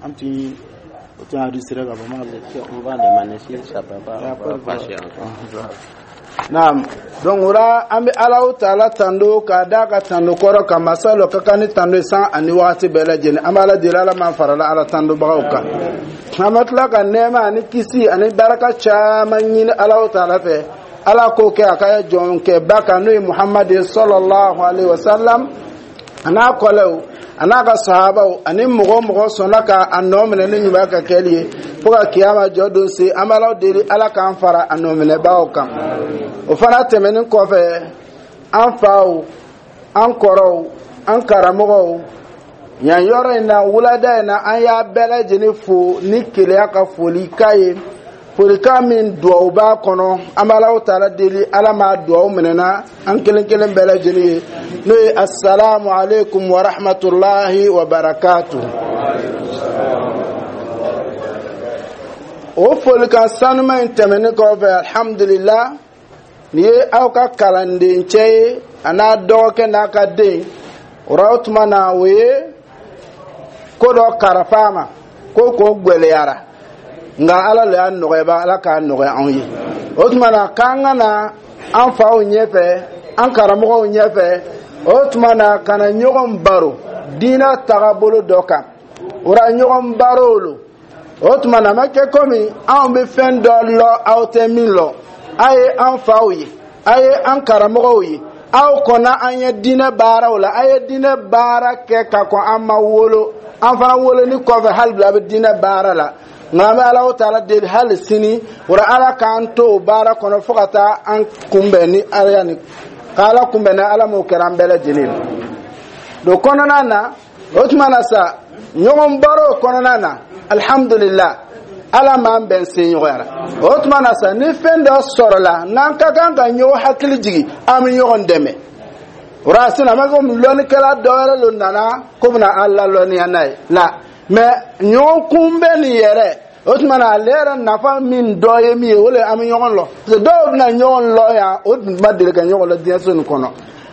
An tun o tun enregistré ka ban. On va demander si ça peut pas, on va passer encore. Naam, donc o la, an bɛ Alahu Taala tando k'a d'a ka tando kɔrɔ ka masa dɔ ka kan ni tando ye san ani wagati bɛɛ lajɛlen. An bɛ Ala deli, Ala m'an farala Ala tandobagaw kan. An bɛ tila ka nɛɛma ani kisi ani baraka caman ɲini Alahu Taala fɛ, Ala k'o kɛ a ka jɔnkɛba kan, n'o ye Muhamadu sallallahu alaihi wa sallam, a n'a kɔlɛw, a n'a ka sahabaw, ani mɔgɔ o mɔgɔ sɔnna ka a nɔ minɛ ni ɲuman ka kɛli ye fo ka kiyama jɔ don se. An bɛ Ala deli, Ala k'an fara a nɔ minɛbagaw kan. O fana tɛmɛnen kɔfɛ, an faw, an kɔrɔw, an karamɔgɔw, yan yɔrɔ in na, wulada in na, an y'a bɛɛ lajɛlen fo ni keleya ka folikan ye, folikan min duwawu b'a kɔnɔ. An bɛ Alahu Taala deli, Ala m'a duwawu minɛna an kelen kelen bɛɛ lajɛlen ye, n'o ye asalamu aleykum wa rahmatulahi wa barakatuh. O folikan sanuma in tɛmɛnen kɔfɛ, alhamdulillah, nin ye aw ka kalandencɛ ye, a n'a dɔgɔkɛ n'a ka den o ra. O tuma na, o ye ko dɔ karafa a ma ko k'o gwɛlɛyara, nka Ala le y'a nɔgɔya ba, Ala k'a nɔgɔya anw ye. O tuma na, k'an ka na an faw ɲɛfɛ, an karamɔgɔw ɲɛfɛ, o tuma na ka na ɲɔgɔn baro diinɛ tagabolo dɔ kan. O ra, ɲɔgɔn baro lo. O tuma na, a ma kɛ komi anw bɛ fɛn dɔ lɔ aw tɛ min lɔ. A ye an faw ye, a ye an karamɔgɔw ye, aw kɔnna an ye diinɛ baaraw la, a ye diinɛ baara kɛ ka kɔn an ma wolo, an fana woloni kɔfɛ, hali bi a bɛ diinɛ baara la. Nka an bɛ Alahu Taala deli hali sini o la, Ala k'an to o baara kɔnɔ fo ka taa an kunbɛn ni Ala ni k'Ala kunbɛn ni Ala m'o kɛra an bɛɛ lajɛlen ye. O kɔnɔna na, o tuma na sa, ɲɔgɔn baro kɔnɔna na, alhamdulillah, Ala m'an bɛn sen ɲɔgɔnyara. O tuma na sa, ni fɛn dɔ sɔrɔla n'an ka kan ka ɲɔgɔn hakili jigin, an bɛ ɲɔgɔn dɛmɛ. O la sisan, a ma komi lɔnnikɛla dɔ wɛrɛ lo nana ko bɛna an lalɔnniya n'a ye la, mɛ ɲɔgɔn kunbɛn nin yɛrɛ, o tuma na, ale yɛrɛ nafa min dɔ ye min ye, o le an bɛ ɲɔgɔn lɔ, parce que dɔw bɛna ɲɔgɔn lɔ yan, o tun ma deli ka ɲɔgɔn lɔ diɲɛ so nin kɔnɔ.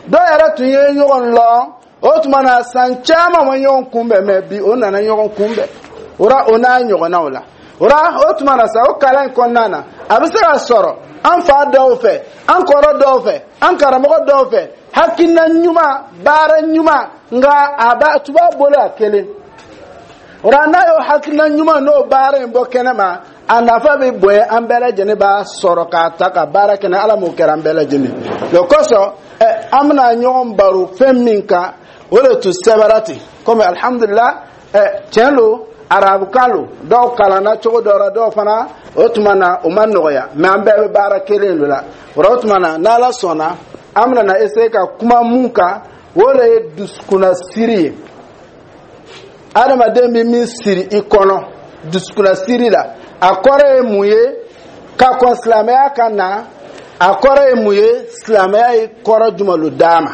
Dɔw yɛrɛ tun ye ɲɔgɔn lɔ, o tuma na, san caman ma ɲɔgɔn kunbɛn, mɛ bi o nana ɲɔgɔn kunbɛn. O la, o n'a ɲɔgɔnnaw la, o la, o tuma na sa, o kalan in kɔnɔna na, a bɛ se ka sɔrɔ an fa dɔw fɛ, an kɔrɔ dɔw fɛ, an karamɔgɔ dɔw fɛ, hakilina ɲuman, baara ɲuman, nka a b'a tu b'a bolo a kelen. O la, n'a y'o hakilina ɲuman n'o baara in bɔ kɛnɛ ma, a nafa bɛ bonya, an bɛɛ lajɛlen b'a sɔrɔ k'a ta ka baara kɛ. Ala m'o kɛra an bɛɛ lajɛlen. O kosɔn ɛ, an bɛna ɲɔgɔn baro fɛn min kan, o de tun sɛbɛra ten. Komi alhamdulilah, ɛ, tiɲɛ lo, arabukan lo, dɔw kalanna cogo dɔ la, dɔw fana, o tuma na, o ma nɔgɔya, mɛ an bɛɛ bɛ baara kelen de la. O la, o tuma na, n'Ala sɔnna, an bɛna na essayer ka kuma mun kan, o de ye dusukunnasiri ye. Adamaden bɛ min siri i kɔnɔ dusukunnasiri la, a kɔrɔ ye mun ye ka kɔn silamɛya ka na? A kɔrɔ ye mun ye? Silamɛya ye kɔrɔ jumɛn lo d'a ma?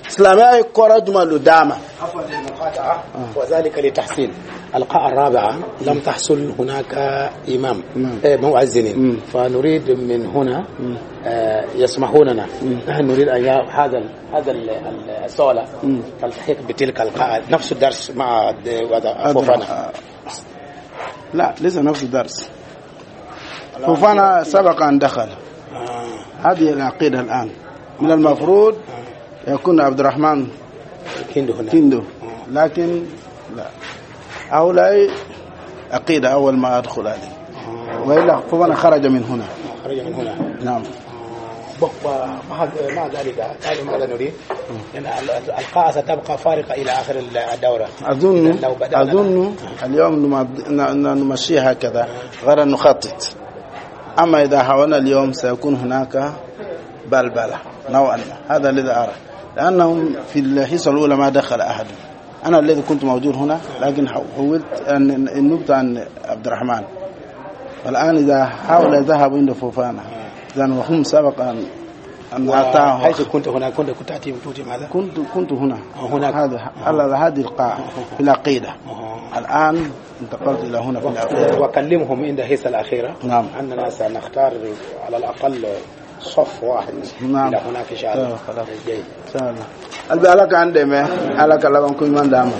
Silamɛya ye kɔrɔ jumɛn lo d'a ma? عفوا للمقاطعة، وذلك لتحسين القاعة الرابعة، لم تحصل هناك إمام مؤذن، فنريد من هنا يسمحون لنا، نحن نريد أن هذا الصالة تلتحق بتلك القاعة، نفس الدرس مع فوفانا. لا، ليس نفس الدرس. فوفانا سبق أن دخل هذه العقيدة. الآن من المفروض يكون عبد الرحمن كيندو هنا. كيندو، لكن لا، هؤلاء عقيدة أول ما أدخل عليه، وإلا فوفانا خرج من هنا. خرج من هنا. نعم. مع ذلك تعالوا، ماذا نريد؟ لأن القاعة ستبقى فارغة إلى آخر الدورة. أظن لو بدأنا أظن اليوم نمشي هكذا غير نخطط، أما إذا حاولنا اليوم سيكون هناك بلبلة نوعا ما. هذا الذي أرى، لأنهم في الحصة الأولى ما دخل أحد. أنا الذي كنت موجود هنا، لكن حولت أن النبتة عن عبد الرحمن. والآن إذا حاول ذهبوا عند فوفانا، إذا وهم سبق أن أتاهم. حيث كنت هنا، كنت تأتي تؤتي ماذا؟ كنت هنا. هناك. هذا على هذه القاعة في العقيدة. الآن انتقلت إلى هنا في العقيدة. وكلمهم عند الحصة الأخيرة أننا سنختار على الأقل صف واحد إلى هناك إن شاء الله. خلاص. جيد. Inshallah. Albi, Ala k'an dɛmɛ, Ala ka laban ko ɲuman d'an ma.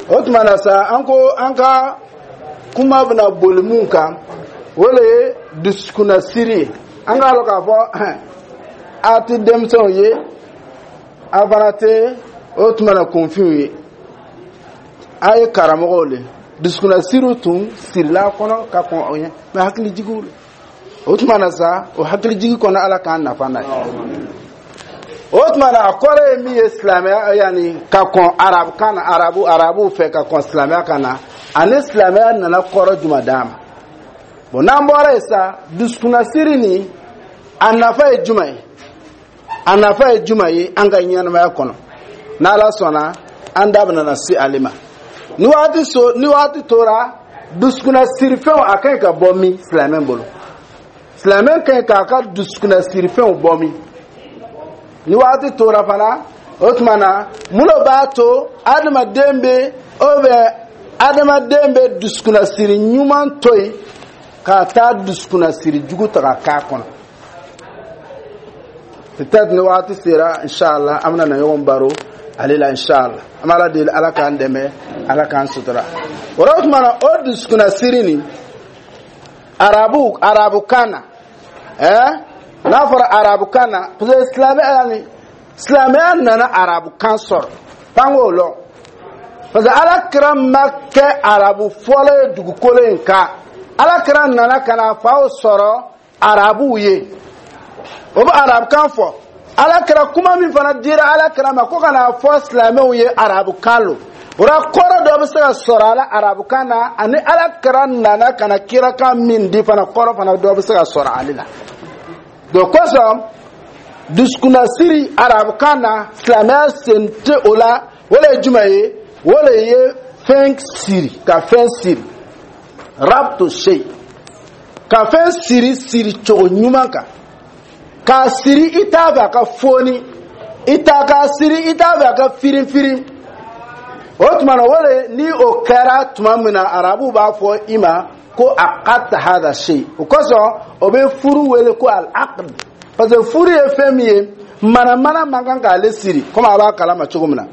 O tuma na sa, an ko an ka kuma bɛna boli mun kan, o le ye dusukunnasiri ye. An k'a lɔn k'a fɔ a tɛ denmisɛnw ye, a fana tɛ o tuma na kunfinw ye, a ye karamɔgɔw le. Dusukunnasiriw tun sirila kɔnɔ ka kɔn o ɲɛ, mɛ hakilijigiw le. O tuma na sa, o hakilijigi kɔnɔ, Ala k'an nafa n'a ye. O tuma na, a kɔrɔ ye min ye silamɛya, yanni ka kɔn arabukan na, arabuw fɛ ka kɔn silamɛya kan na, ani silamɛya nana kɔrɔ jumɛn d'a ma? Bon, n'an bɔra yen sa, dusukunnasiri nin, a nafa ye jumɛn ye? A nafa ye jumɛn ye an ka ɲɛnamaya kɔnɔ? N'Ala sɔnna, an da bɛna na se ale ma ni waati so ni waati tora. Dusukunnasirifɛnw, a ka ɲi ka bɔ min silamɛ bolo? Silamɛ ka ɲi k'a ka dusukunnasirifɛnw bɔ min? Ni waati tora fana, o tuma na, mun de b'a to adamaden bɛ o bɛ adamaden bɛ dusukunnasiri ɲuman to yen ka taa dusukunnasiri jugu ta ka k'a kɔnɔ? Peut-être ni waati sera, inshallah, an bɛna na ɲɔgɔn baro ale la, inshallah. An bɛ Ala deli, Ala k'an dɛmɛ, Ala k'an sutura. O la, o tuma na, o dusukunnasiri nin, arabukan na, n'a fɔra arabukan na, parce que silamɛya, yani silamɛya nana arabukan sɔrɔ, f'an k'o lɔn, parce que Ala kira ma kɛ arabu fɔlɔ ye dugukolo in kan. Ala kira nana ka na faw sɔrɔ arabuw ye, o bɛ arabukan fɔ. Ala kira, kuma min fana dira Ala kira ma ko ka n'a fɔ silamɛw ye, arabukan lo. O la, kɔrɔ dɔ bɛ se ka sɔrɔ a la arabukan na, ani Ala kira nana ka na kirakan min di fana, kɔrɔ fana dɔ bɛ se ka sɔrɔ ale la. Donc kosɔn, dusukunnasiri arabukan na, silamɛya sen tɛ o la. O de ye jumɛn ye? O de ye fɛn siri, ka fɛn siri, rabtu shay, ka fɛn siri siri cogo ɲuman kan, k'a siri i t'a fɛ a ka foni, i t'a k'a siri i t'a fɛ a ka firin firin. O tuma na, o de ni o kɛra tuma min na, arabuw b'a fɔ i ma ko aqadta hadha shay. O kosɔn, o bɛ furu wele ko al aqd, parce que furu ye fɛn min ye, manamana man kan k'ale siri. Komi a b'a kalama cogo min na,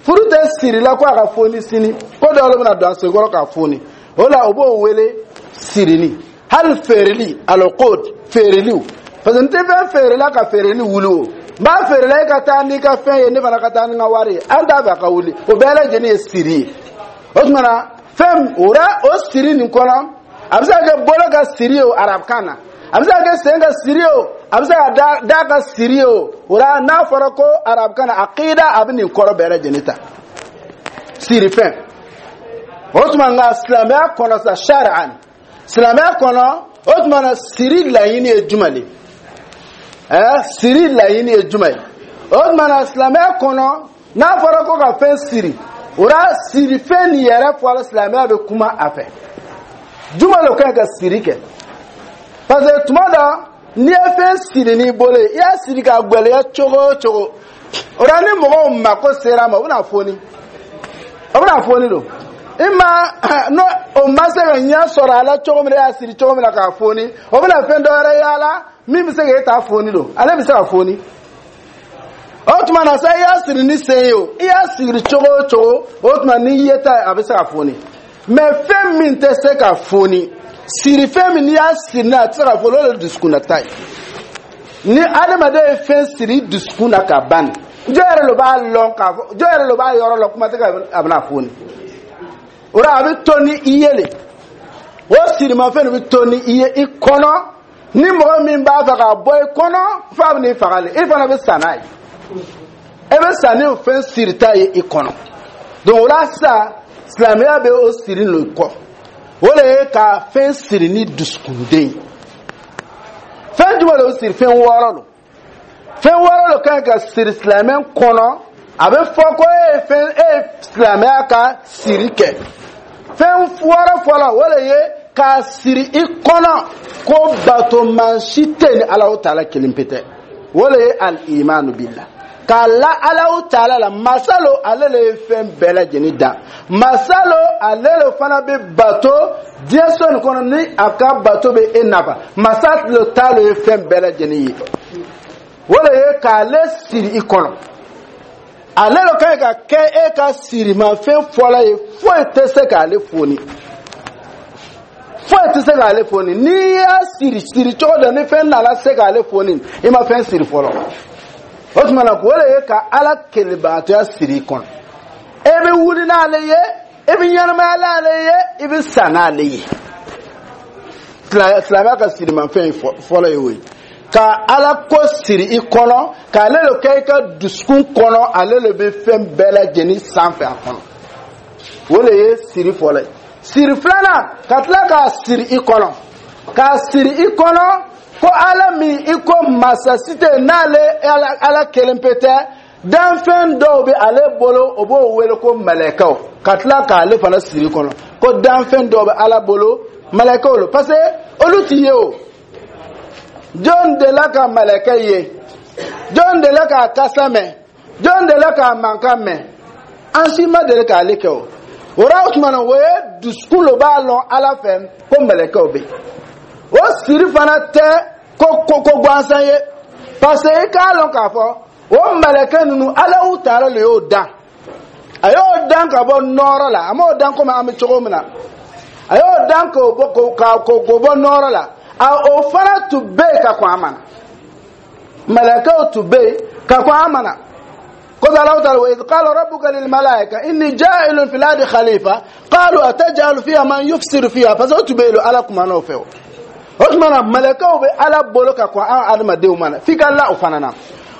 furu tɛ siri la ko a ka foni sini, ko dɔw bɛna don a senkɔrɔ k'a foni. O la, o b'o wele sirili. Hali feereli, alqud, feereliw, parce que n tɛ fɛn feerela ka feereli wuli. O n b'a feerela, e ka taa n'i ka fɛn ye, ne fana ka taa ni n ka wari ye, an t'a fɛ a ka wuli. O bɛɛ lajɛlen ye siri ye. O tuma na, fɛn o la, o siri nin kɔnɔ, a bɛ se ka kɛ bolo ka siri ye o arabukan na, a bɛ se ka kɛ sen ka siri ye o, a bɛ se ka da ka siri ye o. O la, n'a fɔra ko arabukan na aqida, a bɛ nin kɔrɔ bɛɛ lajɛlen ta, sirifɛn. O tuma, nka silamɛya kɔnɔ sa, sari'an, silamɛya kɔnɔ, o tuma na, siri laɲini ye jumɛn de? Siri laɲini ye jumɛn ye? O tuma na, silamɛya kɔnɔ, n'a fɔra ko ka fɛn siri, o la, sirifɛn nin yɛrɛ fɔra, silamɛya bɛ kuma a fɛ jumɛn de ka ɲi ka siri kɛ? Parce que tuma dɔ, n'i ye fɛn siri n'i bolo ye, i y'a siri k'a gwɛlɛya cogo o cogo, o la, ni mɔgɔw mako sera a ma, u bɛna foni, o bɛna foni don i ma. N'o o ma se ka ɲɛ sɔrɔ a la cogo min na, i y'a siri cogo min na k'a foni, o bɛna fɛn dɔ wɛrɛ y'a min bɛ se k'e ta foni don, ale bɛ se ka foni. O tuma na sa, i y'a siri ni sen ye o, i y'a siri cogo o cogo, o tuma n'i ye ta ye, a bɛ se ka foni. Mɛ fɛn min tɛ se ka foni, siri fɛn min n'i y'a siri n'a, a tɛ se ka foni, o de ye dusukunnata ye. Ni adamaden ye fɛn siri dusukun na ka ban, jɔn yɛrɛ de b'a lɔn k'a fɔ? Jɔn yɛrɛ de b'a yɔrɔ lɔn? Kuma tɛ a bɛna foni. O la, a bɛ to ni i ye le, o sirimafɛn de bɛ to ni i ye i kɔnɔ. Ni mɔgɔ min b'a fɛ k'a bɔ i kɔnɔ, f'a bɛ n'i faga le, i fana bɛ sa n'a ye, e bɛ sa ni o fɛn sirita ye i kɔnɔ. Donc o la sisan, silamɛya bɛ o siri n'o kɔ, o de ye ka fɛn siri ni dusukunden ye. Fɛn jumɛn de bɛ siri? Fɛn wɔɔrɔ don. Fɛn wɔɔrɔ de ka ɲi ka siri silamɛ kɔnɔ. A bɛ fɔ ko e ye fɛn, e ye silamɛya ka siri kɛ. Fɛn wɔɔrɔ fɔlɔ, o de ye k'a siri i kɔnɔ ko bato si tɛ yen ni Alahu Taala kelen pe tɛ. O de ye al-imanu billah, k'a la Alahu Taala la. Masalo, ale le ye fɛn bɛɛ lajɛlen dan. Masalo, ale le fana bɛ bato diɲɛ so nin kɔnɔ, ni a ka bato bɛ e nafa. Masa le ta le ye fɛn bɛɛ lajɛlen ye. O de ye k'ale siri i kɔnɔ. Ale lo ka ɲi ka kɛ e ka sirimafɛn fɔlɔ ye. Foyi tɛ se k'ale foni, foyi tɛ se k'ale foni. N'i y'a siri siri cogo dɔ, ni fɛn nana se k'ale foni, i ma fɛn siri fɔlɔ. O tuma na, k'o de ye ka Ala kelebagatɔya siri i kɔnɔ. E bɛ wuli n'ale ye, e bɛ ɲɛnamaya n'ale ye, i bɛ sa n'ale ye. Silamɛya ka sirimafɛn fɔlɔ ye o ye, ka Ala ko siri i kɔnɔ, k'ale de kɛ i ka dusukun kɔnɔ. Ale de bɛ fɛn bɛɛ lajɛlen sanfɛ a kɔnɔ. O de ye siri fɔlɔ ye. Siri filanan, ka tila k'a siri i kɔnɔ, k'a siri i kɔnɔ ko Ala min i ko masa si tɛ yen n'ale Ala kelen pe tɛ, danfɛn dɔw bɛ ale bolo, o b'o wele ko mɛlɛkɛw. Ka tila k'ale fana siri kɔnɔ ko danfɛn dɔw bɛ Ala bolo, mɛlɛkɛw lo, parce que olu ti ye. O jɔn delila ka mɛlɛkɛ ye? Jɔn delila k'a kasa mɛn? Jɔn delila k'a mankan mɛn? An si ma deli k'ale kɛ. O o la, o tuma na, o ye dusukun lo b'a lɔn Ala fɛ ko mɛlɛkɛw bɛ yen. O siri fana tɛ ko ko ko gansan ye, parce que i k'a lɔn k'a fɔ o mɛlɛkɛ ninnu, Alahu Taala le y'o dan. A y'o dan ka bɔ nɔɔrɔ la. A m'o dan komi an bɛ cogo min na. A y'o dan k'o bɔ k'o bɔ nɔɔrɔ la. A o fana tun bɛ yen ka kɔn a ma na. Mɛlɛkɛw tun bɛ yen ka kɔn a ma na. Kóso Alahu Taala: وإذ قال ربك للملائكة إني جاعل في الأرض خليفة قالوا أتجعل فيها من يفسد فيها. Parce que o tun bɛ yen, Ala kumana o fɛ. O tuma na, mɛlɛkɛw bɛ Ala bolo ka kɔn an adamadenw ma na. F'i ka la o fana na.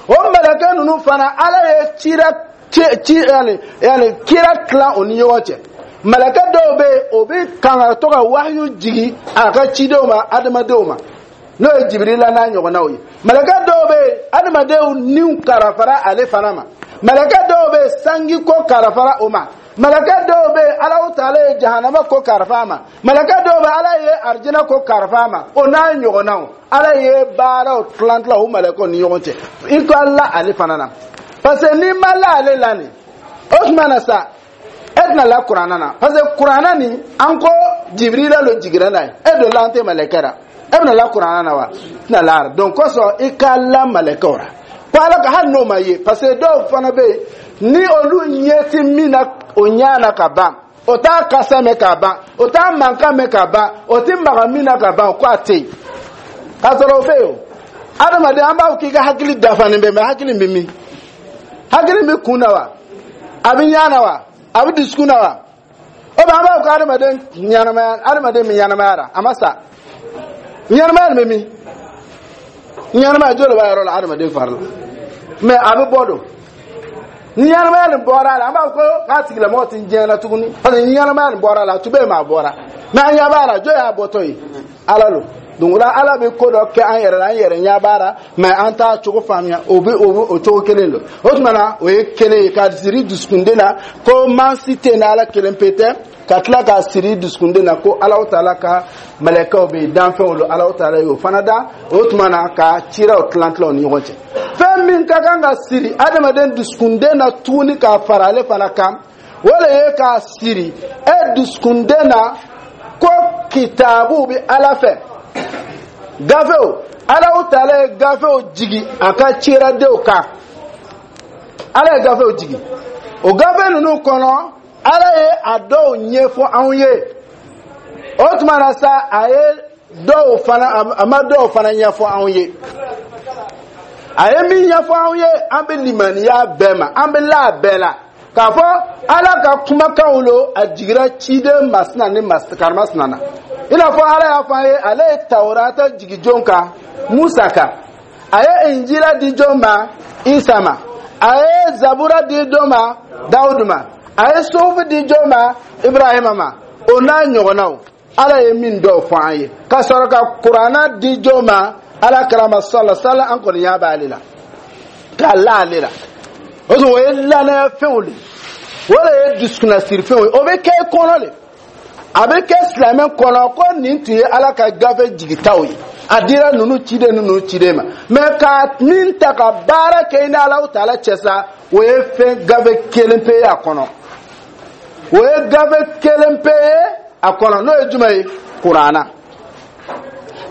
O mɛlɛkɛ ninnu fana, Ala ye cira ci ci, yani kira tilan o ni ɲɔgɔn cɛ. Mɛlɛkɛ dɔw bɛ yen, o bɛ kan ka to ka wahiyu jigi a ka cidenw ma, adamadenw ma, n'o ye Jibirila n'a ɲɔgɔnnaw ye. Mɛlɛkɛ dɔw bɛ yen, adamadenw niw karafara ale fana ma. Mɛlɛkɛ dɔw bɛ yen, sanji ko karafara o ma. Mɛlɛkɛ dɔw bɛ yen, Alahu Taala ye jahanama ko karafa a ma. Mɛlɛkɛ dɔw bɛ, Ala ye arijinɛ ko karafa a ma. O n'a ɲɔgɔnnaw, Ala ye baaraw tilan tilan o mɛlɛkɛw ni ɲɔgɔn cɛ. I ka la ale fana na, parce que n'i ma la ale la nin, o tuma na sa, e tɛna la Kuranna na, parce que Kuranna nin, an ko Jibirila lo jiginna n'a ye. E don la, an tɛ mɛlɛkɛ la, e bɛna la Kuranna na wa? Tɛna la. Donc kosɔn, i ka la mɛlɛkɛw la ko Ala ka, hali n'o ma ye, parce que dɔw fana bɛ yen, ni olu ɲɛ ti min na, o ɲɛ na ka ban, o t'a kasa mɛn ka ban, o t'a mankan mɛn ka ban, o ti maga min na ka ban, o ko a tɛ yen. K'a sɔrɔ o bɛ yen. O adamaden, an b'a fɔ k'i ka hakili dafalen bɛ, mɛ hakili bɛ min? Hakili bɛ kun na wa? A bɛ ɲɛ na wa? A bɛ dusukun na wa? O bɛ, an b'a fɔ ko adamaden ɲɛnamaya, adamaden min ɲɛnamaya la, a ma sa. Ɲɛnamaya nin bɛ min? Ɲɛnamaya joli b'a yɔrɔ la adamaden fari la? Mɛ a bɛ bɔ don ni ɲɛnamaya nin bɔra a la, an b'a fɔ ko k'a tigilamɔgɔ ti diɲɛ na tuguni, parce que ɲɛnamaya nin bɔra a la. A tun bɛ yen, mɛ a bɔra. Mɛ an ɲɛ b'a la. Jɔn y'a bɔtɔ ye? Ala lo. Donc o la, Ala bɛ ko dɔ kɛ an yɛrɛ la, an yɛrɛ ɲɛ b'a la, mɛ an t'a cogo faamuya. O bɛ o cogo kelen don. O tuma na, o ye kelen ye, ka siri dusukunden na ko mansi tɛ yen ni Ala kelen pe tɛ, ka tila k'a siri dusukunden na ko Alahu Taala ka mɛlɛkɛw bɛ yen, danfɛnw don, Alahu Taala y'o fana da. O tuma na, ka ciraw tilan tilan u ni ɲɔgɔn cɛ. Fɛn min ka kan ka siri adamaden dusukunden na tuguni k'a fara ale fana kan, o de ye k'a siri e dusukunden na ko kitabu bɛ Ala fɛ, gafew. Alahu Taala ye gafew jigi a ka ciradenw kan. Ala ye gafew jigi. O gafe ninnu kɔnɔ, Ala ye a dɔw ɲɛfɔ anw ye. O tuma na sa, a ye dɔw fana, a ma dɔw fana ɲɛfɔ anw ye. A ye min ɲɛfɔ anw ye, an bɛ limaniya bɛɛ ma, an bɛ la a bɛɛ la k'a fɔ Ala ka kumakanw lo, a jigira ciden masina ni karimasina na. I n'a fɔ Ala y'a fɔ an ye, ale ye Tawurata jigi jɔn kan? Musa kan. A ye Injila di jɔn ma? Isa ma. A ye Zabura di jɔn ma? Dawudu ma. A ye Suhufu di jɔn ma? Ibrahima ma. O n'a ɲɔgɔnnaw, Ala ye min dɔw fɔ an ye, ka sɔrɔ ka Kuranna di jɔn ma? Ala karama sɔlɔ sala. An kɔni ɲɛ b'ale la k'a la ale la. O sɔrɔ, o ye lanaya fɛnw de, o de ye dusukunnasirifɛnw ye. O bɛ kɛ i kɔnɔ de, a bɛ kɛ silamɛ kɔnɔ ko nin tun ye Ala ka gafe jigitaw ye, a dira ninnu ciden, ninnu ciden ma. Mɛ ka min ta ka baara kɛ i ni Alahu Taala cɛ sa, o ye fɛn gafe kelen pe ye a kɔnɔ. O ye gafe kelen pe ye a kɔnɔ, n'o ye jumɛn ye? Kuranna.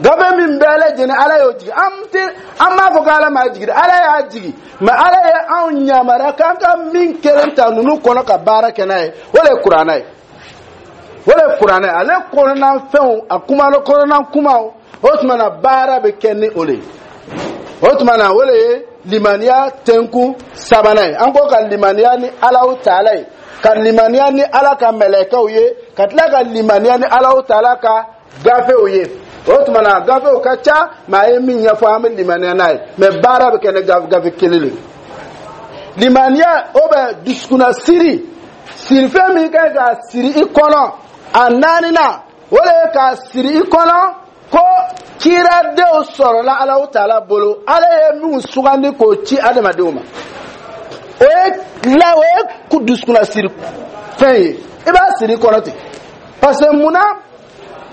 Gafe min bɛɛ lajɛlen, Ala y'o jigi. An tɛ, an b'a fɔ ko Ala m'a jigi dɛ, Ala y'a jigi, mais Ala ye anw yamaruya k'an ka min kelen ta ninnu kɔnɔ ka baara kɛ n'a ye, o de ye Kuranɛ ye. O de ye Kuranɛ ye. Ale kɔnɔna fɛnw, a kuma kɔnɔna kumaw, o tuma na baara bɛ kɛ ni o de ye. O tuma na, o de ye limaniya tɛnkun sabanan ye. An ko ka limaniya ni Alahu Taala ye, ka limaniya ni Ala ka mɛlɛkɛw ye, ka tila ka limaniya ni Alahu Taala ka gafew ye. O tuma na, gafew ka ca, mais a ye min ɲɛfɔ, an bɛ limaniya n'a ye, mais baara bɛ kɛ ni gafe kelen de ye. Limaniya o bɛ dusukunna siri, sirifɛn min ka ɲi k'a siri i kɔnɔ, a naaninan, o de ye k'a siri i kɔnɔ ko ciradenw sɔrɔla Alahu Taala bolo, Ala ye minnu sugandi k'o ci adamadenw ma. O ye la, o ye dusukunna siri fɛn ye, i b'a siri i kɔnɔ ten. Parce que munna,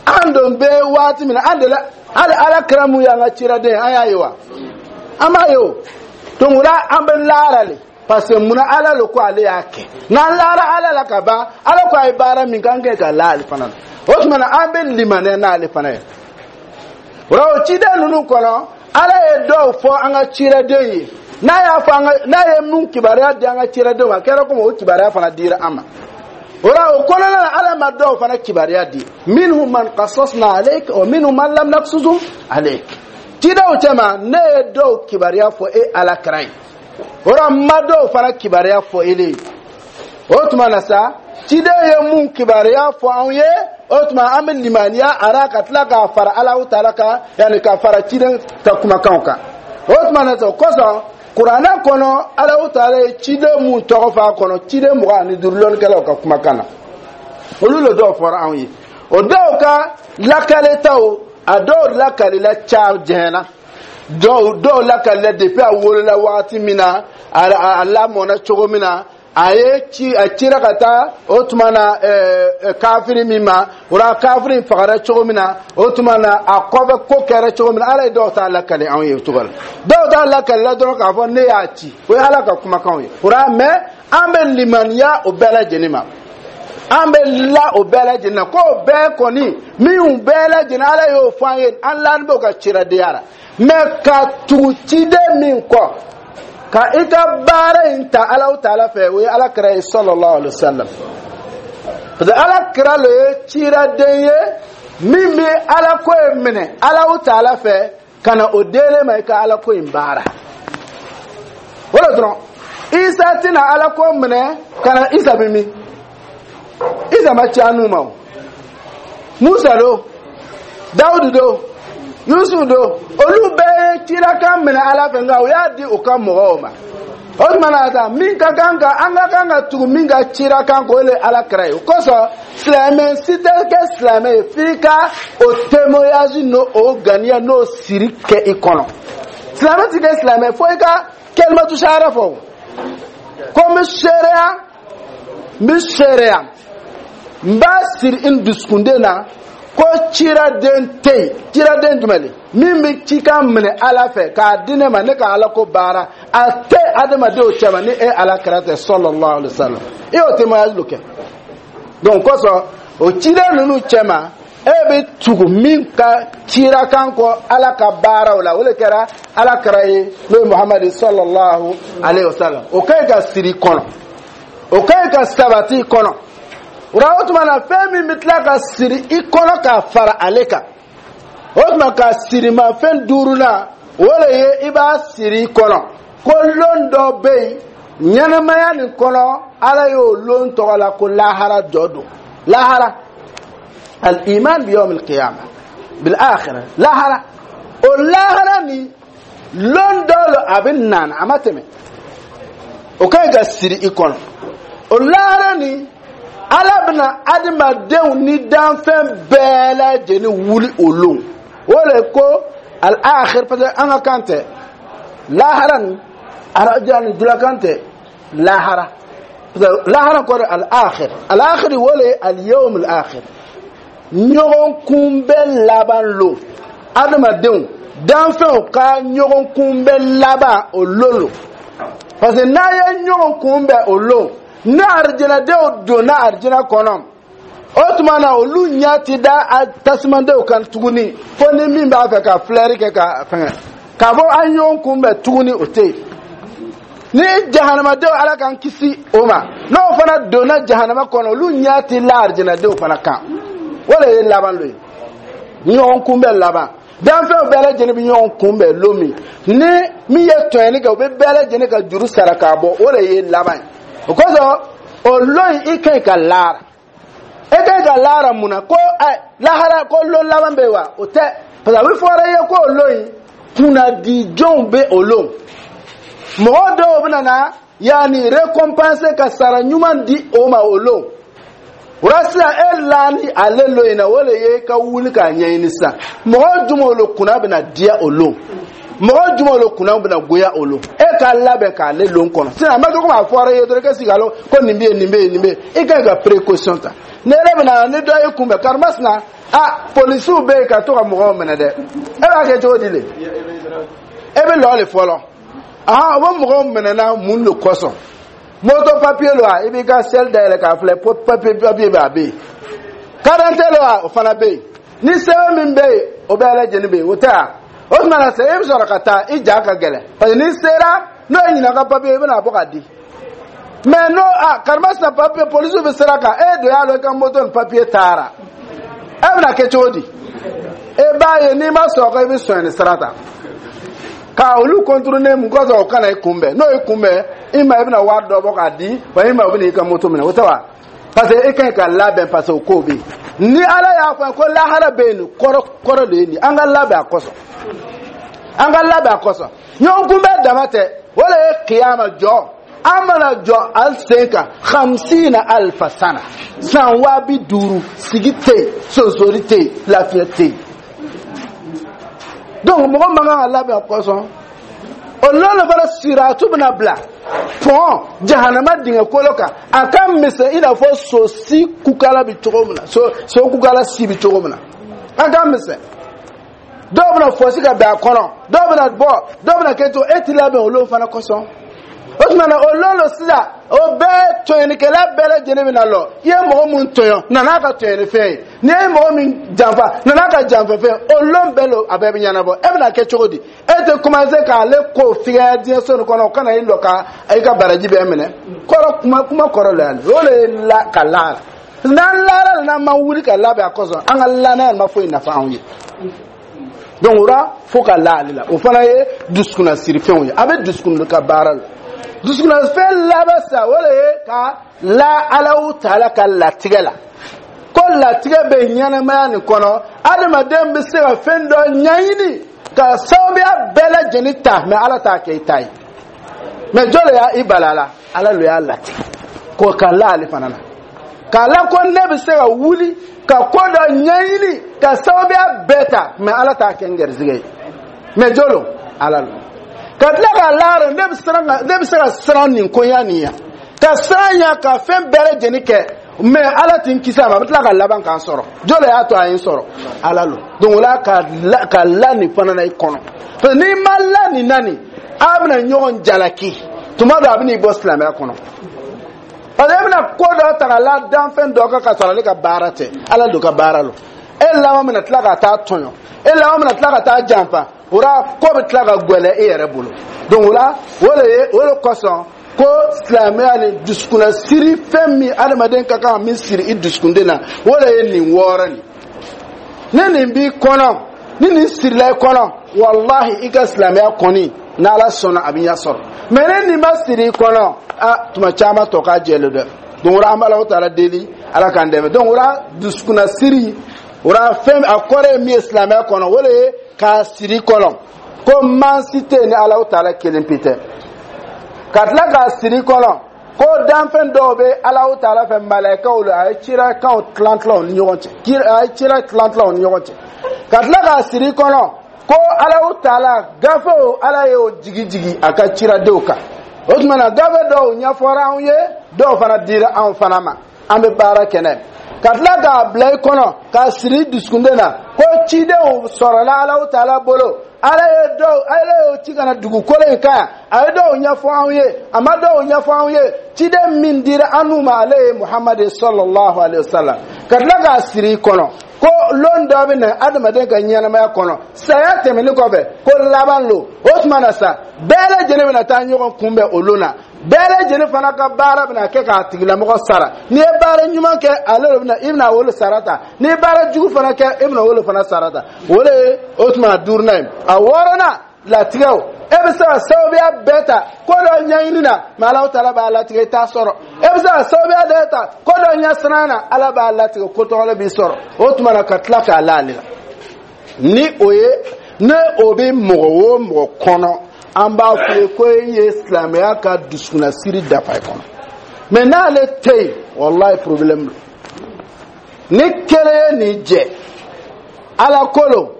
an don bɛ waati min na, an de la, hali Ala kira mun y'an ka ciraden, an y'a ye wa? An b'a ye o. Donc o la, an bɛ laara le, parce que munna, Ala le ko ale y'a kɛ. N'an laara Ala la ka ban, Ala ko a ye baara min kɛ, an kɛ ka la ale fana la. O tuma na, an bɛ limaniya n'ale fana ye. O la, o ciden ninnu kɔnɔ, Ala ye dɔw fɔ an ka ciraden ye. N'a y'a fɔ an ka, n'a ye mun kibaruya di an ka ciradenw ma, a kɛra komi o kibaruya fana dira an ma. O la, o kɔnɔna na, Ala ma dɔw fana kibaruya di: minhum man qasasna alayk wa minhum man lam naqsusum alayk. Cidenw cɛma, ne ye dɔw kibaruya fɔ e Ala kira ye, o la n ma dɔw fana kibaruya fɔ e ye. O tuma na sa, ciden ye mun kibaruya fɔ anw ye, o tuma an bɛ limaniya a ra, ka tila k'a fara Alahu Taala kan, yanni ka fara ciden ka kumakanw kan. O tuma na sa, o kosɔn Kuranɛ kɔnɔ, Alahu Taala ye ciden mun tɔgɔ fɔ a kɔnɔ, ciden 25, lɔnnikɛlaw ka kumakan na, olu le dɔw fɔra anw ye. O dɔw ka lakaletaw, a dɔw lakalila ca jɛna, dɔw lakalila depuis a wolola wagati min na, a lamɔna cogo min na, a ye ci, a cira ka taa, o tuma na kafiri min ma, o la kafiri in fagara cogo min na, o tuma na a kɔfɛ ko kɛra cogo min na, Ala ye dɔw t'a lakali anw ye o cogo la. Dɔw t'a lakalila dɔrɔn k'a fɔ ne y'a ci, o ye Ala ka kumakanw ye. O la, mais an bɛ limaniya o bɛɛ lajɛlen ma, an bɛ la o bɛɛ lajɛlen na k'o bɛɛ kɔni minnu bɛɛ lajɛlen, Ala y'o fɔ an ye, an lani b'o ka ciradenya la. Mais ka tugu ciden min kɔ ka i ka baara in ta Alahu Taala fɛ, o ye Ala kira ye, sallallahu alaihi wa sallam, parce que Ala kira le ye ciraden ye min bɛ Ala ko in minɛ Alahu Taala fɛ ka na o delen ma i ka Ala ko in baara. O de dɔrɔn, Isa tɛna Ala ko minɛ ka na. Isa bɛ min? Isa ma ci an ma. O Musa do, Dawudu do, Yusuf do, olu bɛɛ ye cirakan minɛ Ala fɛ, nka o y'a di u ka mɔgɔw ma. O tuma na sa, min ka kan ka, an ka kan ka tugu min ka cirakan kɔ, o le Ala kira ye. O kosɔn, silamɛ si tɛ kɛ silamɛ ye f'i ka o témoignage n'o o ganiya n'o siri kɛ i kɔnɔ. Silamɛ ti kɛ silamɛ fo i ka kalimatu shahada fɔ ko n bɛ seereya, n bɛ seereya, n b'a siri n dusukunden na ko ciraden tɛ yen. Ciraden jumɛn de min bɛ cikan minɛ Ala fɛ k'a di ne ma, ne ka Ala ko baara, a tɛ adamadenw cɛma ni e Ala kira tɛ, sallallahu alaihi wa sallam. I y'o témoignage kɛ. Donc kosɔn, o ciden ninnu cɛma, e bɛ tugu min ka cirakan kɔ Ala ka baaraw la, o de kɛra Ala kira ye, n'o ye Muhamadu sallallahu alaihi wa sallam. O ka ɲi ka siri kɔnɔ, o ka ɲi ka sabati kɔnɔ. O la, o tuma na, fɛn min bɛ tila ka siri i kɔnɔ ka fara ale kan, o tuma ka sirimafɛn duurunan, o de ye i b'a siri i kɔnɔ ko lon dɔ bɛ yen ɲɛnɛmaya nin kɔnɔ, Ala y'o lon tɔgɔ la ko lahara jɔ don. Lahara, al-iman bi yawm al-qiyamah bil akhirah, lahara, o lahara ni lon dɔ lo, a bɛ nana, a ma tɛmɛ, o ka ɲi ka siri i kɔnɔ. O lahara ni, Ala bɛna adamadenw ni danfɛn bɛɛ lajɛlen wuli o lon. O de ko al-akhir, parce que an ka kan tɛ lahara ni araja ni dulakan tɛ lahara, parce que lahara kɔrɔ al-akhir. Al-akhir, o de ye al-yawm al-akhir, ɲɔgɔn kunbɛn laban lon, adamadenw danfɛnw ka ɲɔgɔn kunbɛn laban o lon lo. Parce que n'a ye ɲɔgɔn kunbɛn o lon, ni arijinɛdenw donna arijinɛ kɔnɔ, o O tuma na, olu ɲɛ ti da a tasumadenw kan tuguni, fo ni min b'a fɛ ka filɛri kɛ ka fɛngɛ k'a fɔ an ɲɔgɔn kunbɛn tuguni, o tɛ yen. Ni jahanamadenw, Ala k'an kisi o ma, n'o fana donna jahanama kɔnɔ, olu ɲɛ ti la arijinɛdenw fana kan. O de ye laban lo ye, ɲɔgɔn kunbɛn laban. Danfɛnw bɛɛ lajɛlen bɛ ɲɔgɔn kunbɛn lon min, ni min ye tɔɲɛni kɛ, u bɛ bɛɛ lajɛlen ka juru sara k'a bɔ, o de ye laban ye. O kosɔn, o lon in, i ka ɲi ka laara, e ka ɲi ka laara. Mun na ko ɛ lahara ko lon laban bɛ yen wa? O tɛ, parce que a bɛ fɔra i ye ko o lon in, kunnadijɔnw bɛ o lon. Mɔgɔ dɔw bɛ na yanni récompense ka sara ɲuman di o ma o lon. O la sisan, e laani ale lon in na, o de ye ka wuli k'a ɲɛɲini sisan mɔgɔ jumɛn le kunna bɛna diya o lon, mɔgɔ jumɛn le kunna bɛna goya o lon. E k'a labɛn k'ale lon kɔnɔ sisan. A ma kɛ komi a fɔra i ye dɔrɔn i ka sigi a lɔn ko nin bɛ yen, nin bɛ yen, nin bɛ yen. I ka ɲi ka précaution ta. Ni e bɛna ni dɔ y'i kunbɛn, karimasina, a polisiw bɛ yen ka to ka mɔgɔw minɛ dɛ, e b'a kɛ cogo di le? E bɛ lɔ de fɔlɔ. Ahan, o bɛ mɔgɔw minɛ na mun de kosɔn? Moto papier lo wa? I b'i ka selle dayɛlɛ k'a filɛ, papier bɛ, a bɛ yen. Carte d'identité lo wa? O fana bɛ yen. Ni sɛbɛn min bɛ yen, o bɛɛ lajɛlen bɛ yen, o tɛ wa? O tuma na sisan, e bɛ sɔrɔ ka taa, i ja ka gɛlɛn, parce que n'i sera, n'o ye ɲininka ka papier, i bɛna bɔ ka di. Mais n'o a karimasina papier, polisiw bɛ sira kan, e de y'a dɔn i ka moto ni papier taara, e bɛna kɛ cogo di? E b'a ye n'i ma sɔn ko i bɛ sonyɛni sira ta ka olu contourner. Mun kosɔn? O kana i kunbɛn. N'o y'i kunbɛn, i ma i bɛna wari dɔ bɔ k'a di wa, i ma o bɛna i ka moto minɛ, o tɛ wa? Parce que e ka ɲi ka labɛn, parce que o ko bɛ yen. Ni Ala y'a fɔ ko lahara bɛ yen, nin kɔrɔ kɔrɔ de ye nin. An ka labɛn a kosɔn, an ka labɛn a kosɔn. Ɲɔgɔn kunbɛn dama tɛ, o de ye kiyama jɔ. An mana jɔ an sen kan, 50000 sana, san 50000, sigi tɛ yen, sonsori tɛ yen, lafiya tɛ yen. Donc mɔgɔ man kan ka labɛn o kosɔn. O lɔn fana, siratu bɛna bila pɔn jahanama dingɛ kolo kan, a ka misɛn i n'a fɔ so si kukala bɛ cogo min na, so kukala si bɛ cogo min na, a ka misɛn. Dɔw bɛna fɔsi ka bɛn a kɔnɔ, dɔw bɛna bɔ, dɔw bɛna kɛ cogo, e ti labɛn olu fana kosɔn. O tuma na, o lɔn sisan, o bɛɛ tɔɲɔnikɛla bɛɛ lajɛlen bɛna lɔ. I ye mɔgɔ mun tɔɲɔ, na n'a ka tɔɲɔnifɛn ye. N'i ye mɔgɔ min janfa, na n'a ka janfɛfɛn. O lɔn bɛɛ lo, a bɛɛ bɛ ɲɛnabɔ. E bɛna kɛ cogo di? E tɛ commencer k'ale ko figaya diɲɛ so nin kɔnɔ, o kana i lɔ ka i ka baraji bɛɛ minɛ. Kɔrɔ kuma kɔrɔ la yan, o de ye la ka laara. N'an laara la, n'an ma wuli ka labɛn a kosɔn, an ka lanaya ma foyi nafa anw ye. Donc o la, fo ka la ale la. O fana ye dusukunnasirifɛnw ye, a bɛ dusukun ka baara la. Dusukunnafɛn laban sa, o de ye ka la Alahu taala ka latigɛ la, ko latigɛ bɛ ɲɛnɛmaya nin kɔnɔ. Adamaden bɛ se ka fɛn dɔ ɲɛɲini ka sababuya bɛɛ lajɛlen ta, mais Ala t'a kɛ i ta ye. Mais jɔn de y'a i bala la? Ala de y'a latigɛ ko ka la ale fana na, k'a la ko ne bɛ se ka wuli ka ko dɔ ɲɛɲini ka sababuya bɛɛ ta, mais Ala t'a kɛ n garizigɛ ye. Mais jɔn don? Ala don. Ka tila k'a laara, ne bɛ se ka siran nin koɲa nin ya, ka siran ya, ka fɛn bɛɛ lajɛlen kɛ, mais Ala tɛ n kisi a ma, a bɛ tila ka laban k'an sɔrɔ. Jɔn de y'a to a ye n sɔrɔ? Ala lo. Donc o la, ka la nin fana na i kɔnɔ, parce que n'i ma la nin na nin, a bɛna ɲɔgɔn jalaki. Tuma dɔ, a bɛna i bɔ silamɛya kɔnɔ, parce que e bɛna ko dɔ ta ka la danfɛn dɔ kan ka sɔrɔ ale ka baara tɛ, Ala don ka baara lo. E laban bɛna tila ka taa tɔɲɔ, e laban bɛna tila ka taa janfa. O la, ko bɛ tila ka gɛlɛya e yɛrɛ bolo. Donc o la, o de ye, o de kosɔn ko silamɛya ni dusukunna siri, fɛn min adamaden ka kan ka min siri i dusukunden na, o de ye nin wɔɔrɔ nin. Ni nin b'i kɔnɔ, ni nin sirila i kɔnɔ, walahi, i ka silamɛya kɔni, n'Ala sɔnna, a bɛ ɲɛ sɔrɔ. Mais ni nin ma siri i kɔnɔ, a tuma caman tɔ k'a jɛlen dɛ. Donc o la, an bɛ Alahu taala deli, Ala k'an dɛmɛ. Donc o la, dusukunna siri o la, fɛn a kɔrɔ ye min ye silamɛya kɔnɔ, o de ye k'a siri i kɔnɔ ko mansi tɛ yen ni Alahu taala kelen pe tɛ. Ka tila k'a siri i kɔnɔ ko danfɛn dɔw bɛ Alahu taala fɛ, malayikaw la, a ye cirakanw tilan tilan u ni ɲɔgɔn cɛ, a ye cira tilan tilan u ni ɲɔgɔn cɛ. Ka tila k'a siri i kɔnɔ ko Alahu taala gafew, Ala y'o jigi jigi a ka ciradenw kan. O tuma na, gafe dɔw ɲɛfɔra anw ye, dɔw fana dira anw fana ma, an bɛ baara kɛ n'a ye. Ka tila k'a bila i kɔnɔ, k'a siri i dusukunden na ko cidenw sɔrɔla Alahu taala bolo. Ala ye dɔw, Ala y'o ci ka na dugukolo in kan yan. A ye dɔw ɲɛfɔ anw ye, a ma dɔw ɲɛfɔ anw ye. Ciden min dira an n'u ma, ale ye Muhamadu sallallahu alaihi wa sallam. Ka tila k'a siri i kɔnɔ ko lon dɔ bɛ na adamaden ka ɲɛnamaya kɔnɔ, saya tɛmɛnen kɔfɛ, ko laban lo. O tuma na sa, bɛɛ lajɛlen bɛna taa ɲɔgɔn kunbɛn o lon na. Bɛɛ lajɛlen fana ka baara bɛna kɛ k'a tigilamɔgɔ sara. N'i ye baara ɲuman kɛ, ale de bɛna, i bɛna o sara ta. N'i ye baara jugu fana kɛ, i bɛna o fana sara ta. O de ye o tuma duurunan ye. A wɔɔrɔnan, latigɛw. E bɛ se ka sababuya bɛɛ ta ko dɔ ɲɛɲini na, mɛ Alahu taala b'a latigɛ, i t'a sɔrɔ. E bɛ se ka sababuya bɛɛ ta ko dɔ ɲɛsiran na, Ala b'a latigɛ, ko tɔgɔla b'i sɔrɔ. O tuma na, ka tila k'a la ale la, ni o ye, ne o bɛ mɔgɔ o mɔgɔ kɔnɔ, an b'a fɔ ye ko e ye silamɛya ka dusukunnasiri dafa i kɔnɔ. Mɛ n'ale tɛ yen, walayi, problème don. Ni kelen ye nin jɛ Ala ko lo,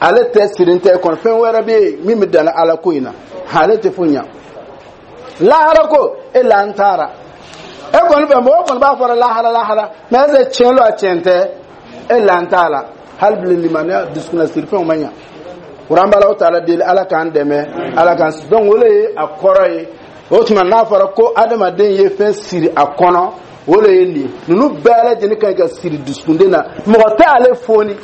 ale tɛ siri tɛ kɔnɔ, fɛn wɛrɛ bɛ yen min bɛ danna Ala ko in na, ale tɛ foyi ɲa. Lahara ko, e la n taara e kɔni fɛ, mɔgɔ kɔni b'a fɔra lahara lahara, mɛ ɛseke tiɲɛ lo, a tiɲɛ tɛ, e la n t'a la. Hali bilen, limaniya dusukunnasiri fɛnw ma ɲa. Kuran b'Ala taala deli, Ala k'an dɛmɛ, Ala k'an. Donc o de ye a kɔrɔ ye. O tuma, n'a fɔra ko adamaden ye fɛn siri a kɔnɔ, o de ye nin ye. Ninnu bɛɛ lajɛlen ka ɲi ka siri dusukunden na. Mɔgɔ tɛ ale foni,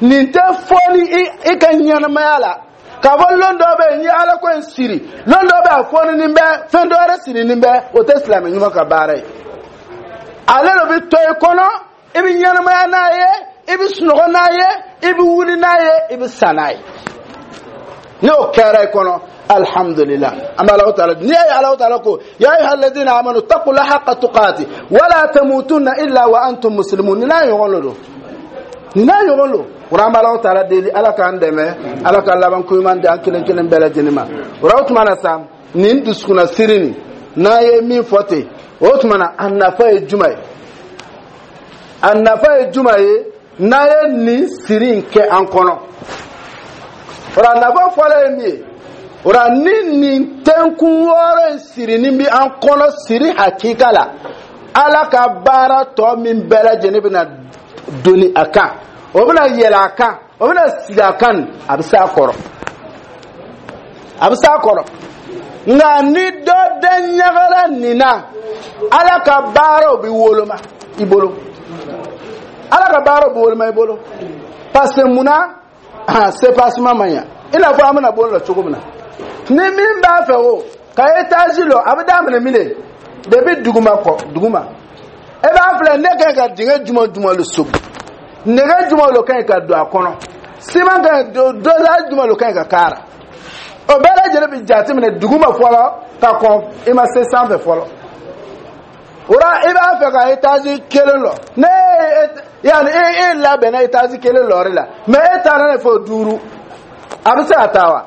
nin tɛ foni i ka ɲɛnamaya la k'a fɔ lon dɔ bɛ yen, n ye Ala ko in siri, lon dɔ bɛ a foni bɛ fɛn dɔ wɛrɛ siri bɛ, o tɛ silamɛ ɲuman ka baara ye. Ale de bɛ to i kɔnɔ, i bɛ ɲɛnamaya n'a ye, i bɛ sunɔgɔ n'a ye, i bɛ wuli n'a ye, i bɛ sa n'a ye. N'o kɛra i kɔnɔ, alhamdulillah. An bɛ Alahu taala, n'i y'a ye Alahu taala ko: ya ayyuha alladhina amanu taqullaha haqqa tuqati wala tamutunna illa wa antum muslimun. Nin n'a ɲɔgɔn lo don, nin n'a ɲɔgɔn lo. O an bɛ Alahu taala deli, Ala k'an dɛmɛ, Ala ka laban ko ɲuman di an kelen kelen bɛɛ lajɛlen ma. O la, o tuma na sa, nin dusukunna siri nin, n'an ye min fɔ ten, o tuma na, a nafa ye jumɛn ye? A nafa ye jumɛn ye n'an ye nin siri in kɛ an kɔnɔ? O la, nafa fɔlɔ ye min ye, o la, ni nin tɛnkun 6 in sirinin bɛ an kɔnɔ, siri hakika la, Ala ka baara tɔ min bɛɛ lajɛlen bɛna doni a kan, o bɛna yɛlɛ a kan, o bɛna sigi a kan, a bɛ se a kɔrɔ, a bɛ se a kɔrɔ. Nka ni dɔ den ɲagara nin na, Ala ka baaraw bɛ woloma i bolo, Ala ka baaraw bɛ woloma i bolo, parce que munna soubassement ma ɲa? I n'a fɔ an bɛna bɔ la cogo min na, ni min b'a fɛ o ka étage lɔ, a bɛ daminɛ min de depuis duguma kɔ duguma. E b'a filɛ, ne ka ɲi ka dingɛ jumɛn jumɛn le sogi, nɛgɛ jumɛn le ka ɲi ka don a kɔnɔ, siman ka ɲi, dosage jumɛn le ka ɲi ka k'a la, o bɛɛ lajɛlen bɛ jateminɛ duguma fɔlɔ ka kɔn i ma se sanfɛ fɔlɔ. O la, i b'a fɛ ka étage kelen lɔ, ne yanni e labɛnna étage kelen lɔri la, mɛ e taara ne fɔ duuru, a bɛ se ka taa wa?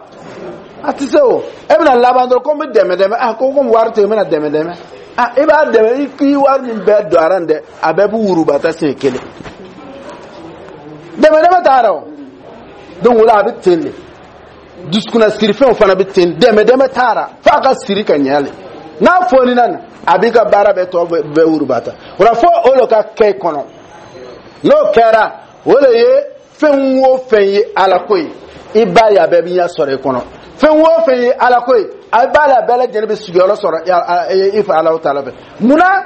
A tɛ se. O e bɛna laban dɔrɔn ko n bɛ dɛmɛ dɛmɛ, ah, ko komi wari tɛ yen, n bɛna dɛmɛ dɛmɛ. Ah, i b'a dɛmɛ, i k'i wari min bɛɛ don a la nin dɛ, a bɛɛ b'u wuruba ta siɲɛ kelen. Dɛmɛ dɛmɛ taara o. Donc o la, a bɛ ten de, dusukunna sirifɛnw fana bɛ ten, dɛmɛ dɛmɛ taara f'a ka siri ka ɲɛ le. N'a fɔnina nin, a b'i ka baara bɛɛ tɔ bɛɛ wuruba ta. O la, fo o de ka kɛ i kɔnɔ. N'o kɛra, o de ye fɛn o fɛn ye Ala ko ye, i b'a ye a bɛɛ bɛ ɲɛ sɔrɔ i kɔnɔ. Fɛn o fɛn ye Ala ko ye, a b'a la, a bɛɛ lajɛlen bɛ sigiyɔrɔ sɔrɔ i fɛ Alahu taala fɛ. Munna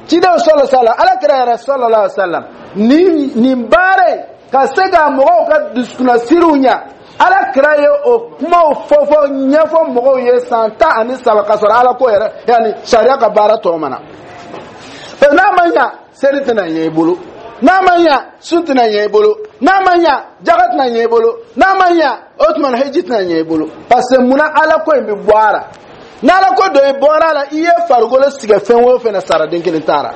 cidenw sɔlɔ sala, Ala kira yɛrɛ sallallahu alaihi wa sallam, nin baara in ka se ka mɔgɔw ka dusukunnasiriw ɲa, Ala kira ye o kumaw fɔ fɔ ɲɛfɔ mɔgɔw ye san 13 ka sɔrɔ Ala ko yɛrɛ, yanni sariya ka baara tɔ ma na. Parce que n'a ma ɲa, seli tɛna ɲɛ i bolo. N'a ma ɲa, sun tɛna ɲɛ i bolo. N'a ma ɲa, jaga tɛna ɲɛ i bolo. N'a ma ɲa, o tuma na, hiji tɛna ɲɛ i bolo. Parce que munna? Ala ko in bɛ bɔ a la. N'Ala ko dɔ i bɔra a la, i ye farikolo sigɛ fɛn o fɛn na, sara den kelen t'a la.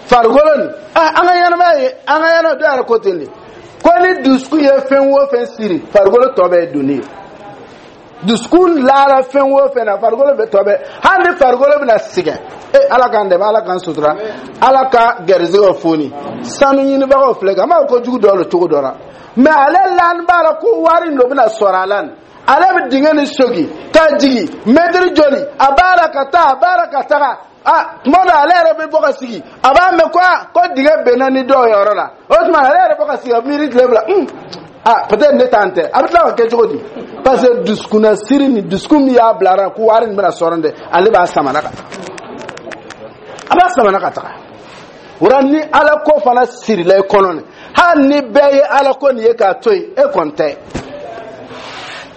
Farikolo nin, ah, an ka ɲɛnamaya ye, an ka ɲɛnamaya dɔw yɛrɛ ko ten de, ko ni dusukun ye fɛn o fɛn siri, farikolo tɔ bɛɛ ye donni ye. Dusukun lara fɛn o fɛn na, farikolo bɛ tɔ bɛɛ, hali ni farikolo bɛna sɛgɛn. E Ala k'an dɛmɛ, Ala k'an sutura, Ala ka gɛrisigɛw foni. Sanu ɲinibagaw filɛ kan, an b'a fɔ ko jugu dɔ lo cogo dɔ la, mɛ ale lani b'a la ko wari in dɔ bɛna sɔrɔ a la nin. Ale bɛ dingɛ ni sogi ka jigin mɛtiri joli, a b'a la ka taa, a b'a la ka taga. A tuma dɔ, ale yɛrɛ bɛ bɔ ka sigi, a b'a mɛn ko a ko dingɛ benna ni dɔw yɔrɔ la. O tuma, ale yɛrɛ bɔ ka sigi, a miiri tile 2. Ah, peut-être ne t'an tɛ, a bɛ tila ka kɛ cogo di? Parce que dusukunna siri ni dusukun min y'a bilara ko wari nin bɛna sɔrɔ dɛ, ale b'a samana ka taga, a b'a samana ka taga. O la, ni Ala ko fana sirila i kɔnɔ nin, hali ni bɛɛ ye Ala ko nin ye k'a to yen, e kɔni tɛ,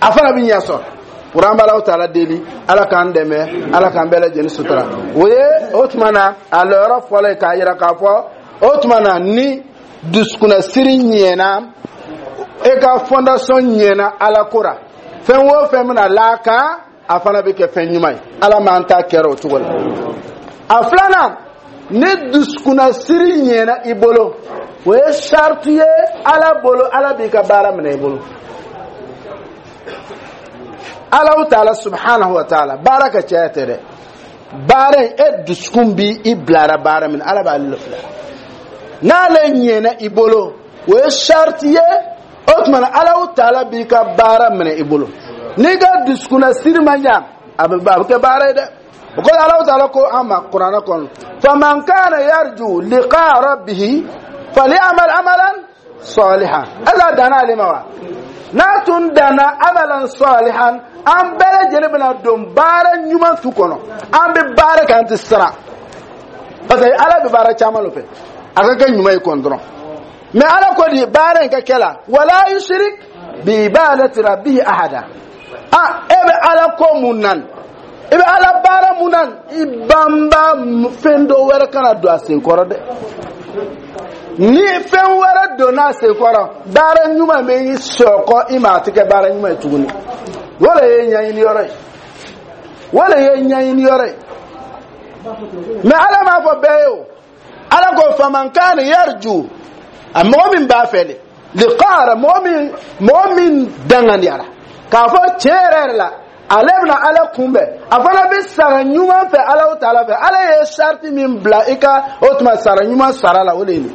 a fana bɛ ɲɛ sɔrɔ. O la, an bɛ Alahu Taala deli, Ala k'an dɛmɛ, Ala k'an bɛɛ lajɛlen sutura. O ye o tuma na a lɔyɔrɔ fɔlɔ ye k'a yira k'a fɔ o tuma na ni dusukunnasiri ɲɛna, e ka fondation ɲɛna Ala ko ra, fɛn o fɛn bɛna l'a kan, a fana bɛ kɛ fɛn ɲuman ye. Ala m'an ta kɛra o cogo la. A filanan, ni dusukunnasiri ɲɛna i bolo, o ye sariti ye Ala bolo, Ala b'i ka baara minɛ i bolo. Alahu Taala subhanahu wa taala, baara ka caya tɛ dɛ, baara in, e dusukun bi i bilara baara min na, Ala b'ale le filɛ. N'ale ɲɛna i bolo, o ye sariti ye. O tuma na, Alahu Taala b'i ka baara minɛ i bolo. N'i ka dusukunna siri ma ɲa, a bɛ kɛ baara ye dɛ. O kɔrɔ, Alahu Taala ko an ma Kuranɛ kɔnɔ: faman kana yarju liqa rabbihi falyamal amalan salihan. Ala danna ale ma wa? N'a tun danna amalan salihan, an bɛɛ lajɛlen bɛna don baara ɲuman tu kɔnɔ. An bɛ baara kɛ, an tɛ siran, parce que Ala bɛ baara caman de fɛ, a ka kɛ ɲuman ye kɔni dɔrɔn. Mais Ala ko di baara in ka kɛ la, wala yushrik bi ibadati rabbihi ahada. Ah, e bɛ Ala ko mun nan, i bɛ Ala baara mun nan, i banba fɛn dɔ wɛrɛ kana don a sen kɔrɔ dɛ. Ni fɛn wɛrɛ donna a sen kɔrɔ, baara ɲuman bɛ i sɔkɔ i ma, a tɛ kɛ baara ɲuman ye tuguni. O de ye ɲɛɲini yɔrɔ ye, o de ye ɲɛɲini yɔrɔ ye. Mais Ala m'a fɔ bɛɛ ye o. Ala ko faman kana yarju, a mɔgɔ min b'a fɛ de liqara, mɔgɔ min danganiyara k'a fɔ tiɲɛ yɛrɛ yɛrɛ la, ale bɛna Ala kunbɛn, a fana bɛ sara ɲuman fɛ Ala Taala fɛ. Ala ye sariti min bila i ka o tuma sara ɲuman sara la, o de ye nin.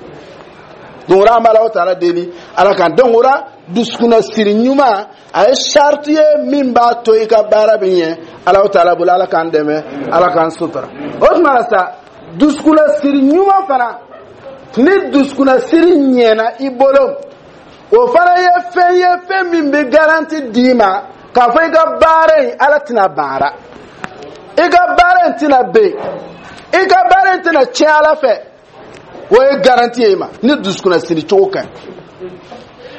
Donc o la, an bɛ Ala Taala deli, Ala kan. Donc o la, dusukunna siri ɲuman, a ye sariti ye min b'a to i ka baara bɛ ɲɛ Ala Taala bolo. Ala k'an dɛmɛ, Ala k'an sutura. O tuma na sa, dusukunna siri ɲuman fana, ni dusukunna siri ɲɛna i bolo, o fana ye fɛn ye, fɛn min bɛ garantie d'i ma k'a fɔ i ka baara in, Ala tɛna baara i ka baara in tɛna ben, i ka baara in tɛna tiɲɛ Ala fɛ. O ye garantie ye i ma ni dusukunna siri cogo ka ɲi.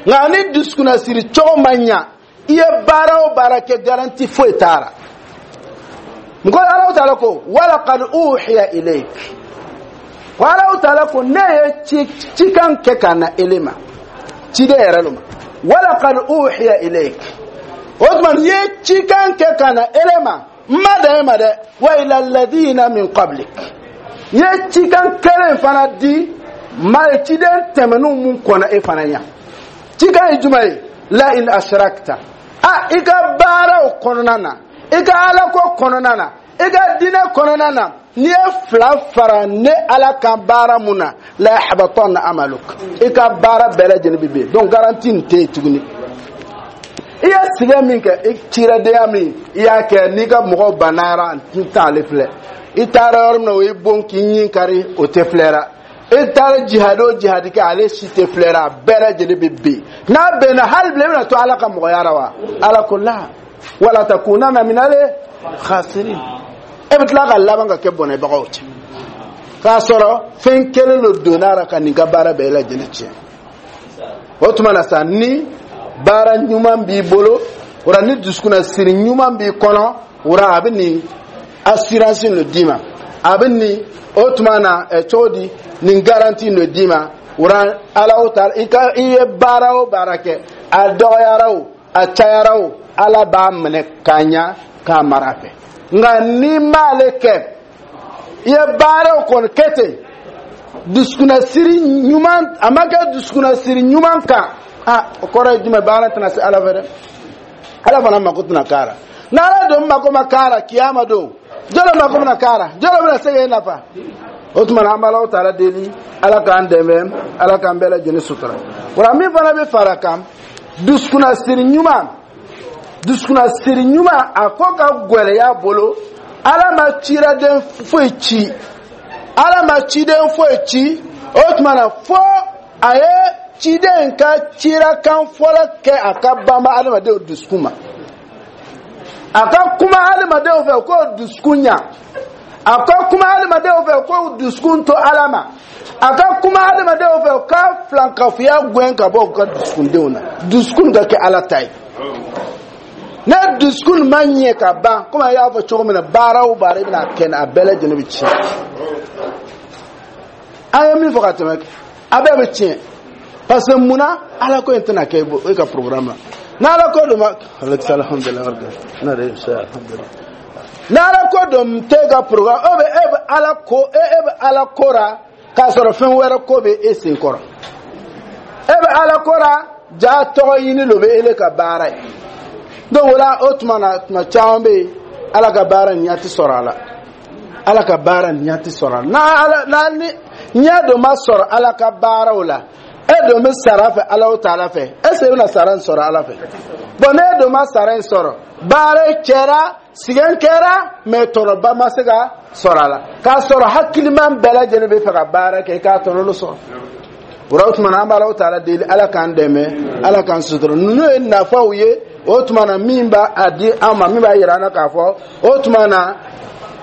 Nka ni dusukunna siri cogo ma ɲa, i ye baara o baara kɛ, garantie foyi t'a la. Mɔgɔ, Ala Taala ko walaqad uhiya ilayk, ko Ala Taala ko ne ye cikan kɛ ka na ele ma, ciden yɛrɛ lo ma. Walaqad uhiya ilayk, o tuma n ye cikan kɛ ka na ele ma, n ma dan e ma dɛ, wa ila alladhina min qablik, n ye cikan kelen fana di ma ciden tɛmɛnenw mun kɔnna e fana ɲa. Cikan ye jumɛn ye? La in ashrakta, a i ka baaraw kɔnɔna na, i ka alako kɔnɔna na, i ka diinɛ kɔnɔna na, n'i ye fila fara ne Ala kan baara mun na, la yahbatanna amaluk, i ka baara bɛɛ lajɛlen bɛ ben. Donc garantie nin tɛ yen tuguni. I ye sɛgɛn min kɛ, i ciradenya min i y'a kɛ, n'i ka mɔgɔw bannara, n t'ale filɛ. I taara yɔrɔ min na, o y'i bon k'i ɲin kari, o tɛ filɛra. I taara jihadi o jihadi kɛ, ale si tɛ filɛra. A bɛɛ lajɛlen bɛ ben. N'a bɛnna, hali bilen i bɛna to Ala ka mɔgɔya la wa? Ala ko la wala takunanna minal khasirin, e bɛ tila ka laban ka kɛ bɔnɛbagaw cɛ, k'a sɔrɔ fɛn kelen de donna a la ka nin ka baara bɛɛ lajɛlen tiɲɛ. O tuma na sa, ni baara ɲuman b'i bolo, o la ni dusukunna siri ɲuman b'i kɔnɔ, o la a bɛ nin assurance de d'i ma, a bɛ nin o tuma na cogo di, nin garantie de d'i ma. O la, Ala o ta i ka, i ye baara o baara kɛ, a dɔgɔyara o, a cayara o, Ala b'a minɛ k'a ɲa k'a mara a fɛ. Nka n'i m'ale kɛ, i ye baaraw kɔni kɛ ten, dusukunnasiri ɲuman a ma kɛ dusukunnasiri ɲuman kan, a o kɔrɔ ye jumɛn? Baara tɛna se Ala fɛ dɛ, Ala fana mako tɛna k'a la. N'Ala don mako ma k'a la, kiyama don jɔlɔ mako bɛna k'a la, jɔlɔ bɛna se k'e nafa? O tuma na, an bɛ Alahu Taala deli, Ala k'an dɛmɛ, Ala k'an bɛɛ lajɛlen sutura. O la, min fana bɛ fara kan, dusukunnasiri ɲuman, dusukunnasiri ɲuman, a ko ka gɛlɛya bolo. Ala ma ciraden foyi ci, Ala ma ciden foyi ci o tuma na fo a ye Ciden ka cirakan fɔlɔ kɛ a ka banba adamadenw dusukun ma, a ka kuma adamadenw fɛ k'o dusukun ɲa, a ka kuma adamadenw fɛ k'o dusukun to Ala ma, a ka kuma adamadenw fɛ k'a filankafoya gɛn ka bɔ u ka dusukundenw na, dusukun ka kɛ Ala ta ye. Ne dusukun ma ɲɛ ka ban, komi a y'a fɔ cogo min na, baara o baara i bɛna kɛ, a bɛɛ lajɛlen bɛ tiɲɛ. An ye min fɔ ka tɛmɛ, a bɛɛ bɛ tiɲɛ, parce que munna? Ala ko in tɛna kɛ e ka programme la. N'Ala ko dɔ ma, alhamdulilah, n'Ala ko dɔ tɛ ka programme, o bɛ e bɛ Ala ko, e bɛ Ala ko ra k'a sɔrɔ fɛn wɛrɛ ko bɛ e sen kɔrɔ. E bɛ Ala ko ra, ja tɔgɔ ɲini lo bɛ ele ka baara ye. Donc o la, o tuma na, tuma caman bɛ yen, Ala ka baara ɲɛ tɛ sɔrɔ a la, Ala ka baara ɲɛ tɛ sɔrɔ a la. N'a Ala n'a ni ɲɛ dɔ ma sɔrɔ Ala ka baaraw la, e dun bɛ sara fɛ Ala taala fɛ, est ce que e bɛna sara in sɔrɔ Ala fɛ? Bon, ne dun ma sara in sɔrɔ, baara kɛra, sɛgɛn kɛra, mais tɔnɔba ma se ka sɔrɔ a la, k'a sɔrɔ hakiliman bɛɛ lajɛlen bɛ fɛ ka baara kɛ i k'a tɔnɔ dɔ sɔrɔ. O la, o tuma na, an bɛ Ala taala deli, Ala k'an dɛmɛ, Ala k'an sutura. Ninnu ye nafaw ye. O tuma na, min b'a a di an ma, min b'a yira an na k'a fɔ o tuma na,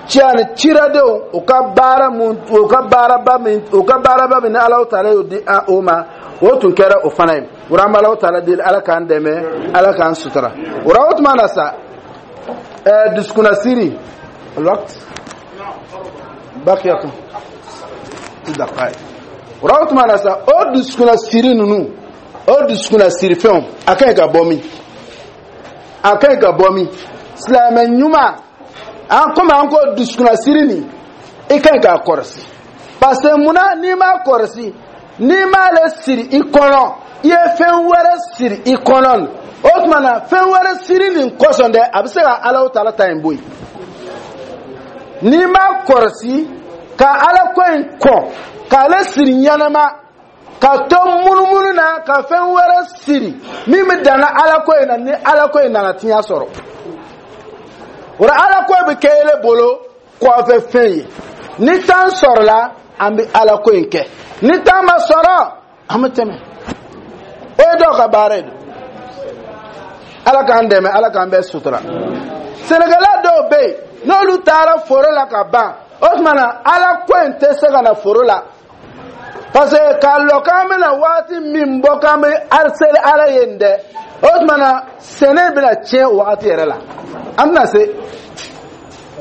ciya ni ciradenw u ka baara mun, u ka baaraba min, u ka baaraba min ni Ala taala y'o di o ma, o tun kɛra o fana ye. O la, an bɛ Ala taala deli, Ala k'an dɛmɛ, Ala k'an sutura. O la, o tuma na sa, dusukunnasiri, الوقت بقي دقائق. O la, o tuma na sa, o dusukunnasiri ninnu, o dusukunnasiri fɛnw, a ka ɲi ka bɔ min? A ka ɲi ka bɔ min? Silamɛ ɲuman, an komi an ko dusukunnasiri nin, i ka ɲi k'a kɔrɔsi, parce que munna? N'i m'a kɔrɔsi, n'i m'ale siri i kɔnɔ, i ye fɛn wɛrɛ siri i kɔnɔ, o tuma na, fɛn wɛrɛ siri nin kosɔn dɛ, a bɛ se ka Ala taala ta in bɔ yen. N'i m'a kɔrɔsi ka Ala ko in kɔn k'ale siri ɲɛnama, ka to munumunu na ka fɛn wɛrɛ siri min bɛ danna Ala ko in na, ni Ala ko in nana tiɲɛ sɔrɔ, o la Ala ko bɛ kɛ ele bolo kɔfɛ fɛn ye. Ni temps sɔrɔla, an bɛ Ala ko in kɛ, ni temps ma sɔrɔ, an bɛ tɛmɛ. O ye dɔw ka baara ye. Ala k'an dɛmɛ, Ala k'an bɛɛ sutura. Sɛnɛkɛla dɔw bɛ yen, n'olu taara foro la ka ban, o tuma na, Ala ko in tɛ se ka na foro la, parce que k'a lɔ k'an bɛna waati min bɔ k'an bɛ seli Ala ye nin dɛ, o tuma na, sɛnɛ bɛna tiɲɛ o wagati yɛrɛ la. An bɛna se,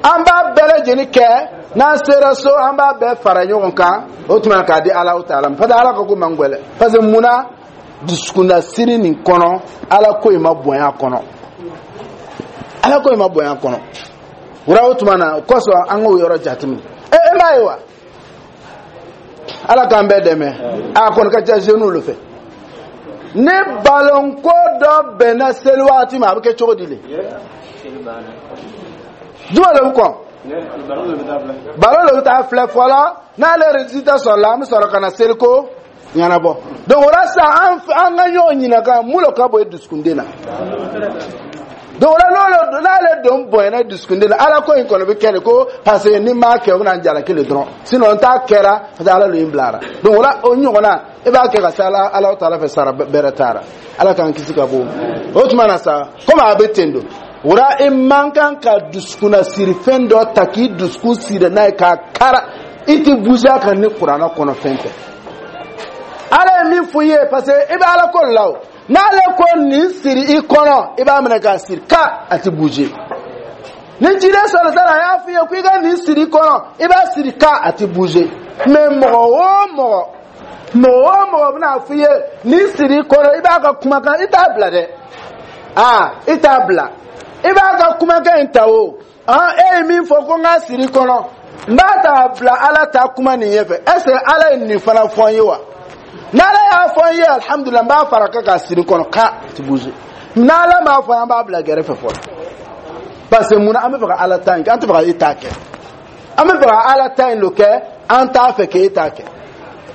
an b'a bɛɛ lajɛlen kɛ, n'an sera so, an b'a bɛɛ fara ɲɔgɔn kan, o tuma na, k'a di Ala taala ma, parce que Ala ka ko man gɛlɛn. Parce que munna? Dusukunnasiri nin kɔnɔ, Ala ko in ma bonya a kɔnɔ, Ala ko in ma bonya a kɔnɔ. Wura, o tuma na, o kosɔn an k'o yɔrɔ jateminɛ. E e m'a ye wa? Ala k'an bɛɛ dɛmɛ. A kɔni ka ca jeunes le fɛ. Ni balonko dɔ bɛnna seli waati ma, a bɛ kɛ cogo di le? Juma de bɛ kɔn, balon de bɛ taa filɛ fɔlɔ. N'ale résultat sɔrɔla, an bɛ sɔrɔ ka na seliko ɲɛnabɔ. Donc o la sisan, an ka ɲɔgɔn ɲininka, mun de ka bon i dusukunden na? Donc o la, n'ale don bonyana dusukunden na, Ala ko in kɔni bɛ kɛ de ko, parce que ni m'a kɛ, o bɛna n jalaki le dɔrɔn, sinon n t'a kɛra parce que Ala de ye n bilara. Donc o la, o ɲɔgɔnna, e b'a kɛ ka se Ala taala fɛ, sara bɛrɛ t'a la. Ala k'an kisi ka bɔ o tuma na sa. Komi a bɛ ten don o la, i man kan ka dusukunnasiri fɛn dɔ ta k'i dusukun siri n'a ye k'a kara, i tɛ bouger a kan ni Kuranɛ kɔnɔ fɛn tɛ. Ala ye min fɔ i ye, parce que i bɛ Ala ko la, o n'ale ko nin siri i kɔnɔ, i b'a minɛ k'a siri ka a tɛ bouger. Ni jiden sɔrɔ ta la, a y'a fɔ i ye ko i ka nin siri i kɔnɔ, i b'a siri ka a tɛ bouger. Mais mɔgɔ o mɔgɔ, mɔgɔ o mɔgɔ bɛna fɔ i ye nin siri i kɔnɔ, i b'a ka kumakan, i t'a bila dɛ. Aa, i t'a bila, i b'a ka kumakan in ta. O e ye min fɔ ko n k'a siri i kɔnɔ, n b'a ta bila Ala ta kuma nin ɲɛfɛ. Est ce que Ala ye nin fana fɔ n ye wa? N'Ala y'a fɔ n ye, alhamdulilah, n b'a fara kan k'a siri kɔnɔ k'a ti bouger. N'Ala m'a fɔ, an b'a bila gɛrɛfɛ fɔlɔ, parce que munna? An bɛ fɛ ka Ala ta in kɛ, an tɛ fɛ ka e ta kɛ. An bɛ fɛ ka Ala ta in lo kɛ, an t'a fɛ k'e ta kɛ.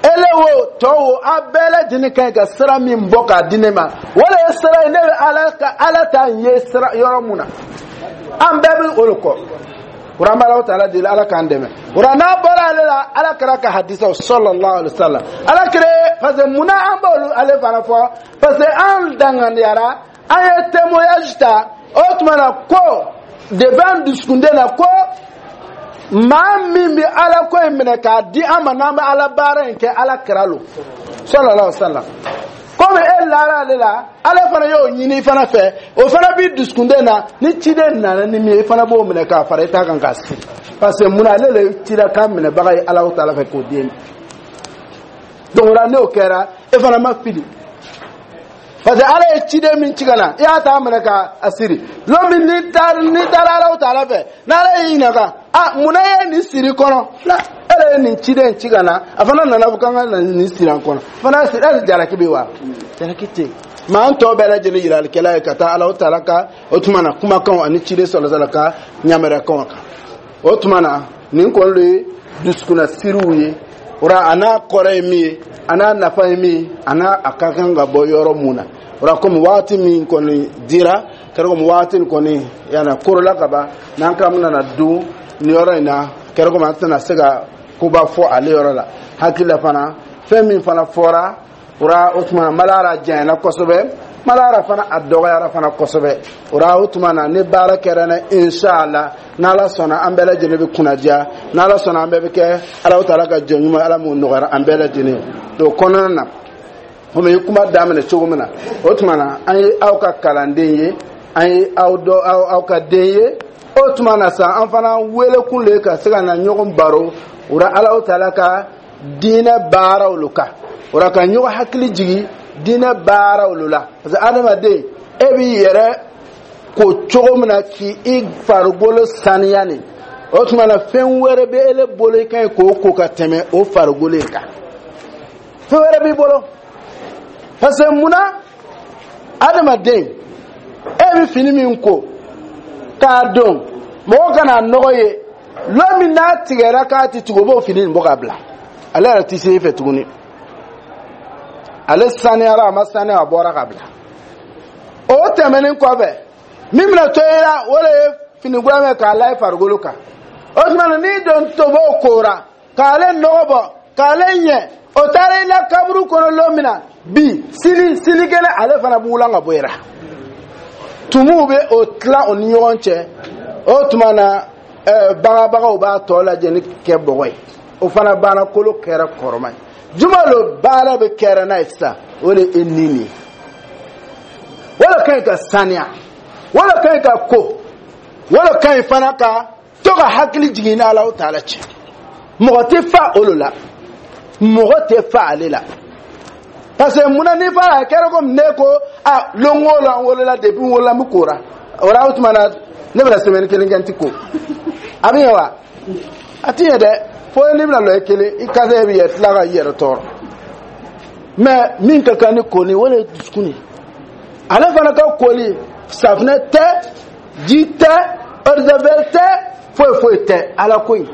Ele wo, tɔ wo, a bɛɛ lajɛlen ka ɲi ka sira min bɔ k'a di ne ma, o de ye sira ye. Ne bɛ Ala ka Ala ta in ye sira yɔrɔ mun na, an bɛɛ bɛ o de kɔ. O la, an bɛ Ala taala deli, Ala k'an dɛmɛ. O la, n'a bɔra ale la, Ala kɛra ka hadisaw, sallallahu alaihi wa sallam, Ala kɛra. Parce que munna an b'olu ale fana fɔ? Parce que an danganiyara, an ye témoignage ta o tuma na ko depuis an dusukunden na ko maa min bɛ Ala ko in minɛ k'a di an ma, n'an bɛ Ala baara in kɛ, Ala kira lo, sallallahu alaihi wa sallam. Komi e lara ale la, ale fana y'o ɲini i fana fɛ, o fana b'i dusukunden na. Ni ciden nana ni min ye, i fana b'o minɛ k'a fara i ta kan k'a siri. Parce que munna? Ale le ye cidakan minɛbaga ye Alahu taala fɛ k'o d'e ma. Donc o la, n'o kɛra, e fana ma fili, parce que Ala ye ciden min ci ka na, i y'a ta minɛ ka a siri. Lon min n'i taara Alahu taala fɛ, n'Ala y'i ɲininka: a munna e ye nin siri kɔnɔ la? E de ye nin ciden ci ka na, a fana nana fɔ k'an ka na nin siri an kɔnɔ fana siri. Hali jalaki bɛ wa? Jalaki tɛ yen. Mɛ an tɔ bɛɛ lajɛlen yiralikɛla ye ka taa Alahu taala ka o tuma na kumakanw ani ciden sɔlɔsɔlɔ ka ɲamɛrɛkanw kan. O tuma na, nin kɔni de ye dusukunna siriw ye. O la, a n'a kɔrɔ ye min ye, a n'a nafa ye min ye, a n'a a ka kan ka bɔ yɔrɔ mun na. O la, komi waati min kɔni dira, kɛra komi waati nin kɔni yana korola ka ban, n'an k'an bɛna na don nin yɔrɔ in na, kɛra komi an tɛna se ka koba fɔ ale yɔrɔ la. Hakili la fana, fɛn min fana fɔra o la, o tuma malara janyana kosɛbɛ, malara fana a dɔgɔyara fana kosɛbɛ. O la, o tuma na, ni baara kɛra na, inshallah, n'Ala sɔnna, an bɛɛ lajɛlen bɛ kunnadiya. N'Ala sɔnna, an bɛɛ bɛ kɛ Ala taala ka jɔn ɲuman. Ala m'o nɔgɔyara an bɛɛ lajɛlen. O kɔnɔna na, komi i ye kuma daminɛ cogo min na, o tuma na, an ye aw ka kalanden ye, an ye aw dɔ aw ka den ye. O tuma na sa, an fana wele kun le ka se ka na ɲɔgɔn baro o la Ala taala ka diinɛ baaraw lo kan. O la, ka ɲɔgɔn hakili jigin diinɛ baaraw lo la, parce que adamaden, e b'i yɛrɛ ko cogo min na k'i farikolo saniya nin, o tuma na, fɛn wɛrɛ bɛ ele bolo i ka ɲi k'o ko ka tɛmɛ o farikolo in kan? Fɛn wɛrɛ b'i bolo? Parce que munna? Adamaden, e bɛ fini min ko k'a don mɔgɔ kana nɔgɔ ye, lon min n'a tigɛra k'a ti tugu, o b'o fini nin bɔ k'a bila. Ale yɛrɛ ti se e fɛ tuguni. Ale saniyara, a ma saniya, a bɔra ka bila. O tɛmɛnen kɔfɛ, min bɛna to e la, o de ye fini kura min k'a la i farikolo kan. O tuma na, n'i don tobo kora k'ale nɔgɔ bɔ k'ale ɲɛ, o taara i la kaburu kɔnɔ lon min na, bi sini sinikɛnɛ, ale fana b'u ka bɔ i la. Tumuw bɛ o tila o ni ɲɔgɔn cɛ. O tuma na, bagabagaw b'a tɔ lajɛ ni kɛ bɔgɔ ye. O fana banna, kolo kɛra kɔrɔma ye. Juma lo baara bɛ kɛra n'a ye sisan, o de ye nin ye. O de ka ɲi ka saniya, o de ka ɲi ka ko, o de ka ɲi fana ka to ka hakili jigin ni Alahu taala cɛ. Mɔgɔ tɛ fa olu la, mɔgɔ tɛ fa ale la. Parce que munna? N'i fa a kɛra komi ne ko a lon o lon, an wolola, depuis n wolola n bɛ kora. O la, o tuma na, ne bɛna semaine kelen kɛ n ti ko, a bɛ ɲɛ wa? A ti ɲɛ dɛ. Fo n'i bɛna lɔ i kelen, i kasa bɛ yɛ tila ka i yɛrɛ tɔɔrɔ. Mais min ka kan ni koli, o de ye dusukun ye. Ale fana ka koli, safunɛ tɛ, ji tɛ, eau de javel tɛ, foyi foyi tɛ, Ala ko in.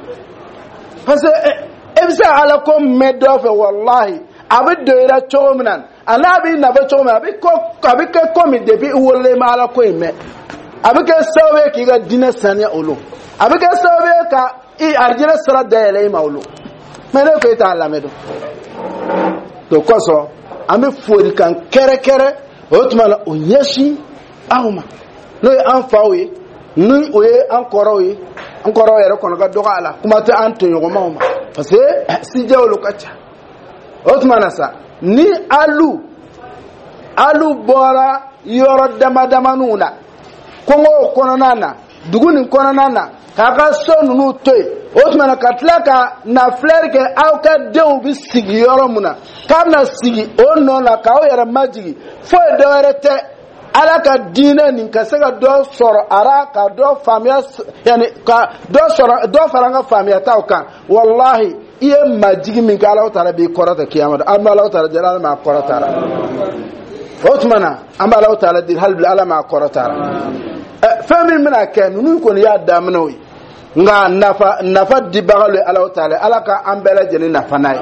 Parce que e bɛ se ka Ala ko mɛn dɔ fɛ, walahi, a bɛ don i la cogo min na, a n'a b'i nafa cogo min na, a bɛ kɛ komi depuis i wololen i ma Ala ko in mɛn. A bɛ kɛ sababu ye k'i ka diinɛ saniya olu, a bɛ kɛ sababu ye ka i arijinɛ sira dayɛlɛ i ma olu. Mais ne ko e t'a lamɛn dɔn. O kosɔn, an bɛ folikan kɛrɛkɛrɛ o tuma na o ɲɛsin aw ma, n'o ye an faw ye, ni o ye an kɔrɔw ye. An kɔrɔw yɛrɛ kɔnɔ ka dɔgɔ a la, kuma tɛ an tɔɲɔgɔnmaw ma, parce que sijɛw olu ka ca. O tuma na sa, ni alu bɔra yɔrɔ dama damaninw na, kɔngɔw kɔnɔna na, dugu nin kɔnɔna na, k'a ka so ninnu to yen, o tuma na ka tila ka na filɛri kɛ aw ka denw bɛ sigi yɔrɔ mun na, k'a bɛna sigi o nɔ na k'aw yɛrɛ majigin, foyi dɔ wɛrɛ tɛ, Ala ka diinɛ nin ka se ka dɔ sɔrɔ a ra, ka dɔ faamuya, yanni ka dɔ sɔrɔ, dɔ fara an ka faamuyataw kan. Walahi, i ye majigi min kɛ, Ala taala b'i kɔrɔta kiyama don. An bɛ Ala taala deli, Ala m'a kɔrɔta la. O tuma na, an bɛ Ala taala deli hali bi, Ala m'a kɔrɔta la. Fɛn min bɛna kɛ, ninnu kɔni y'a daminɛw ye, nka nafa dibaga ye Ala taala. Ala ka an bɛɛ lajɛlen nafa n'a ye.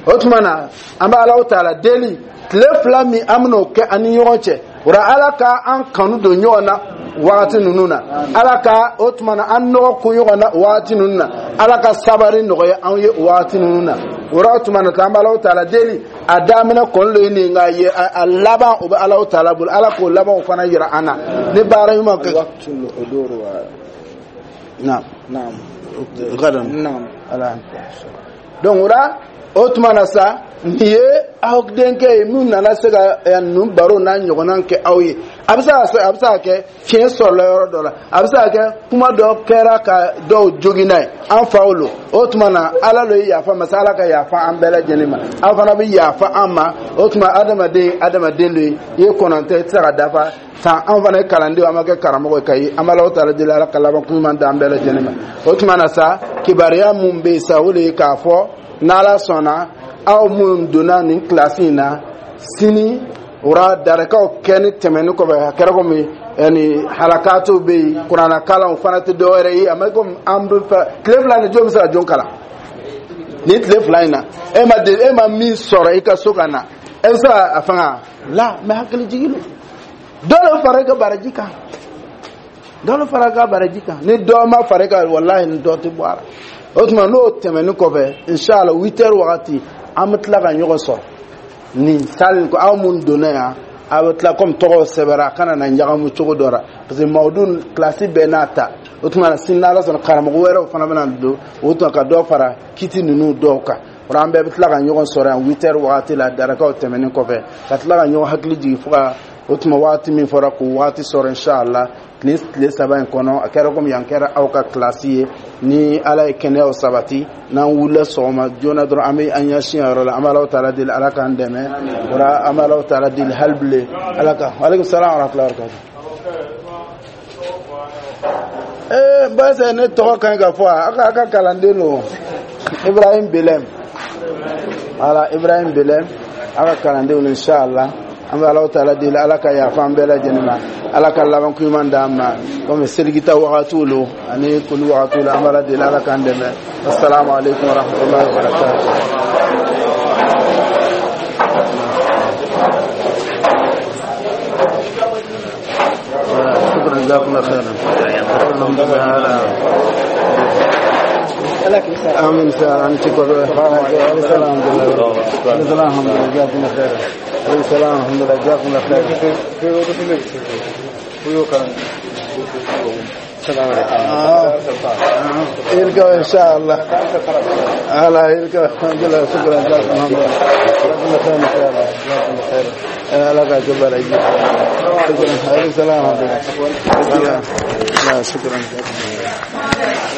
O tuma na, an bɛ Ala taala deli, tile 2 min an bɛn'o kɛ an ni ɲɔgɔn cɛ, o la, Ala ka an kanu don ɲɔgɔn na wagati ninnu na. Ala ka o tuma na an nɔgɔ kun ɲɔgɔn na wagati ninnu na. Ala ka sabari nɔgɔya an ye wagati ninnu na. O la tuma na an bɛ Alahu taala deli, a daminɛ kɔni lo ye nin, nka ye a laban, o bɛ Alahu taala bolo. Ala k'o labanw fana yira an na ni baara ɲuman kɛ. وقت الحضور و نعم. نعم. غدا. نعم. Ala, donc o la, o tuma na sa, nin ye aw denkɛ ye min nana se ka ninnu baro n'a ɲɔgɔnna kɛ aw ye. A bɛ se ka kɛ fiɲɛ sɔrɔla yɔrɔ dɔ la, a bɛ se ka kɛ kuma dɔ kɛra ka dɔw jogin n'a ye. An faw lo. O tuma na, Ala lo ye yafa masa, Ala ka yafa an bɛɛ lajɛlen ma, aw fana bɛ yafa an ma. O tuma, adamaden, adamaden lo ye, i ye kɔnɔntɔn, i tɛ se ka dafa san. An fana ye kalandenw, an ma kɛ karamɔgɔ ye ka ye. An bɛ Alahu taala deli, Ala ka laban ɲuman d'an bɛɛ lajɛlen ma. O tuma na sa, kibaruya mun bɛ yen sa, o de ye k'a fɔ n'Ala sɔnna, aw minnu donna nin kilasi in na sini, o ra darakaw kɛ ni tɛmɛni kɔfɛ, a kɛra komi yani halakatiw bɛ yen, kuranna kalanw fana tɛ dɔwɛrɛ ye. A ma komi an bɛ fɛ tile 2 ni jɔn bɛ se ka jɔn kalan nin tile 2 in na? E ma de, e ma min sɔrɔ i ka so ka na, e bɛ se ka a fanga la mɛ. Hakili jigin don, dɔ de fara i ka baraji kan, dɔ de fara i ka baraji kan. Ni dɔ ma fara i kan, walahi, ni dɔ tɛ bɔ a la. O tuma, n'o tɛmɛni kɔfɛ, inshallah, 8 heures wagati, an bɛ tila ka ɲɔgɔn sɔrɔ nin salle ko. Aw mun donna yan, a bɛ tila komi tɔgɔw sɛbɛnna, a kana na ɲagamu cogo dɔ la, parce que mawudu kilasi bɛɛ n'a ta. O tuma na, sini n'Ala sɔnna, karamɔgɔ wɛrɛw fana bɛna don. O tuma, ka dɔ fara kiti ninnu dɔw kan. O la, an bɛɛ bɛ tila ka ɲɔgɔn sɔrɔ yan 8 heures wagati la, darakaw tɛmɛnen kɔfɛ, ka tila ka ɲɔgɔn hakili jigin fo ka o tuma waati min fɔra, k'o waati sɔrɔ, inshallah. Tile 3 in kɔnɔ, a kɛra komi yan kɛra aw ka kilasi ye. Ni Ala ye kɛnɛyaw sabati, n'an wulila sɔgɔma joona dɔrɔn, an bɛ an ɲɛsin a yɔrɔ la. An bɛ Alahu taala deli, Ala k'an dɛmɛ o la. An bɛ Alahu taala deli hali bilen, Ala ka. Aleykum salaam wa rahmatulahi wa barakatuh. Ee, barisa ne tɔgɔ ka ɲi ka fɔ a ka kalanden don, Ibrahim Belem. Voilà, Ibrahim Belem, a ka kalandenw, inshallah. An bɛ Alahu taala deli, Ala ka yafa an bɛɛ lajɛlen ma, Ala ka laban ko ɲuman d'an ma. Komi seligita wagatiw lo ani koli wagatiw lo, an bɛ Ala deli, Ala k'an dɛmɛ. Assalamu alaikum wa rahmatullahi wa barakatuh. شكرا، جزاكم الله خيرا، الحمد لله. امين. سلام، شكرا. السلام، الحمد لله. السلام، الحمد لله، جزاكم الله خيرا. السلام، الحمد لله، جزاكم الله خيرا. آه. يلقوا ان شاء الله هلا يلقوا. الحمد لله، شكرا، جزاكم الله جزاكم الله خير ان شاء الله. جزاكم الله خير. لا كبر. شكرا، عليكم السلام ورحمه الله. لا، شكرا.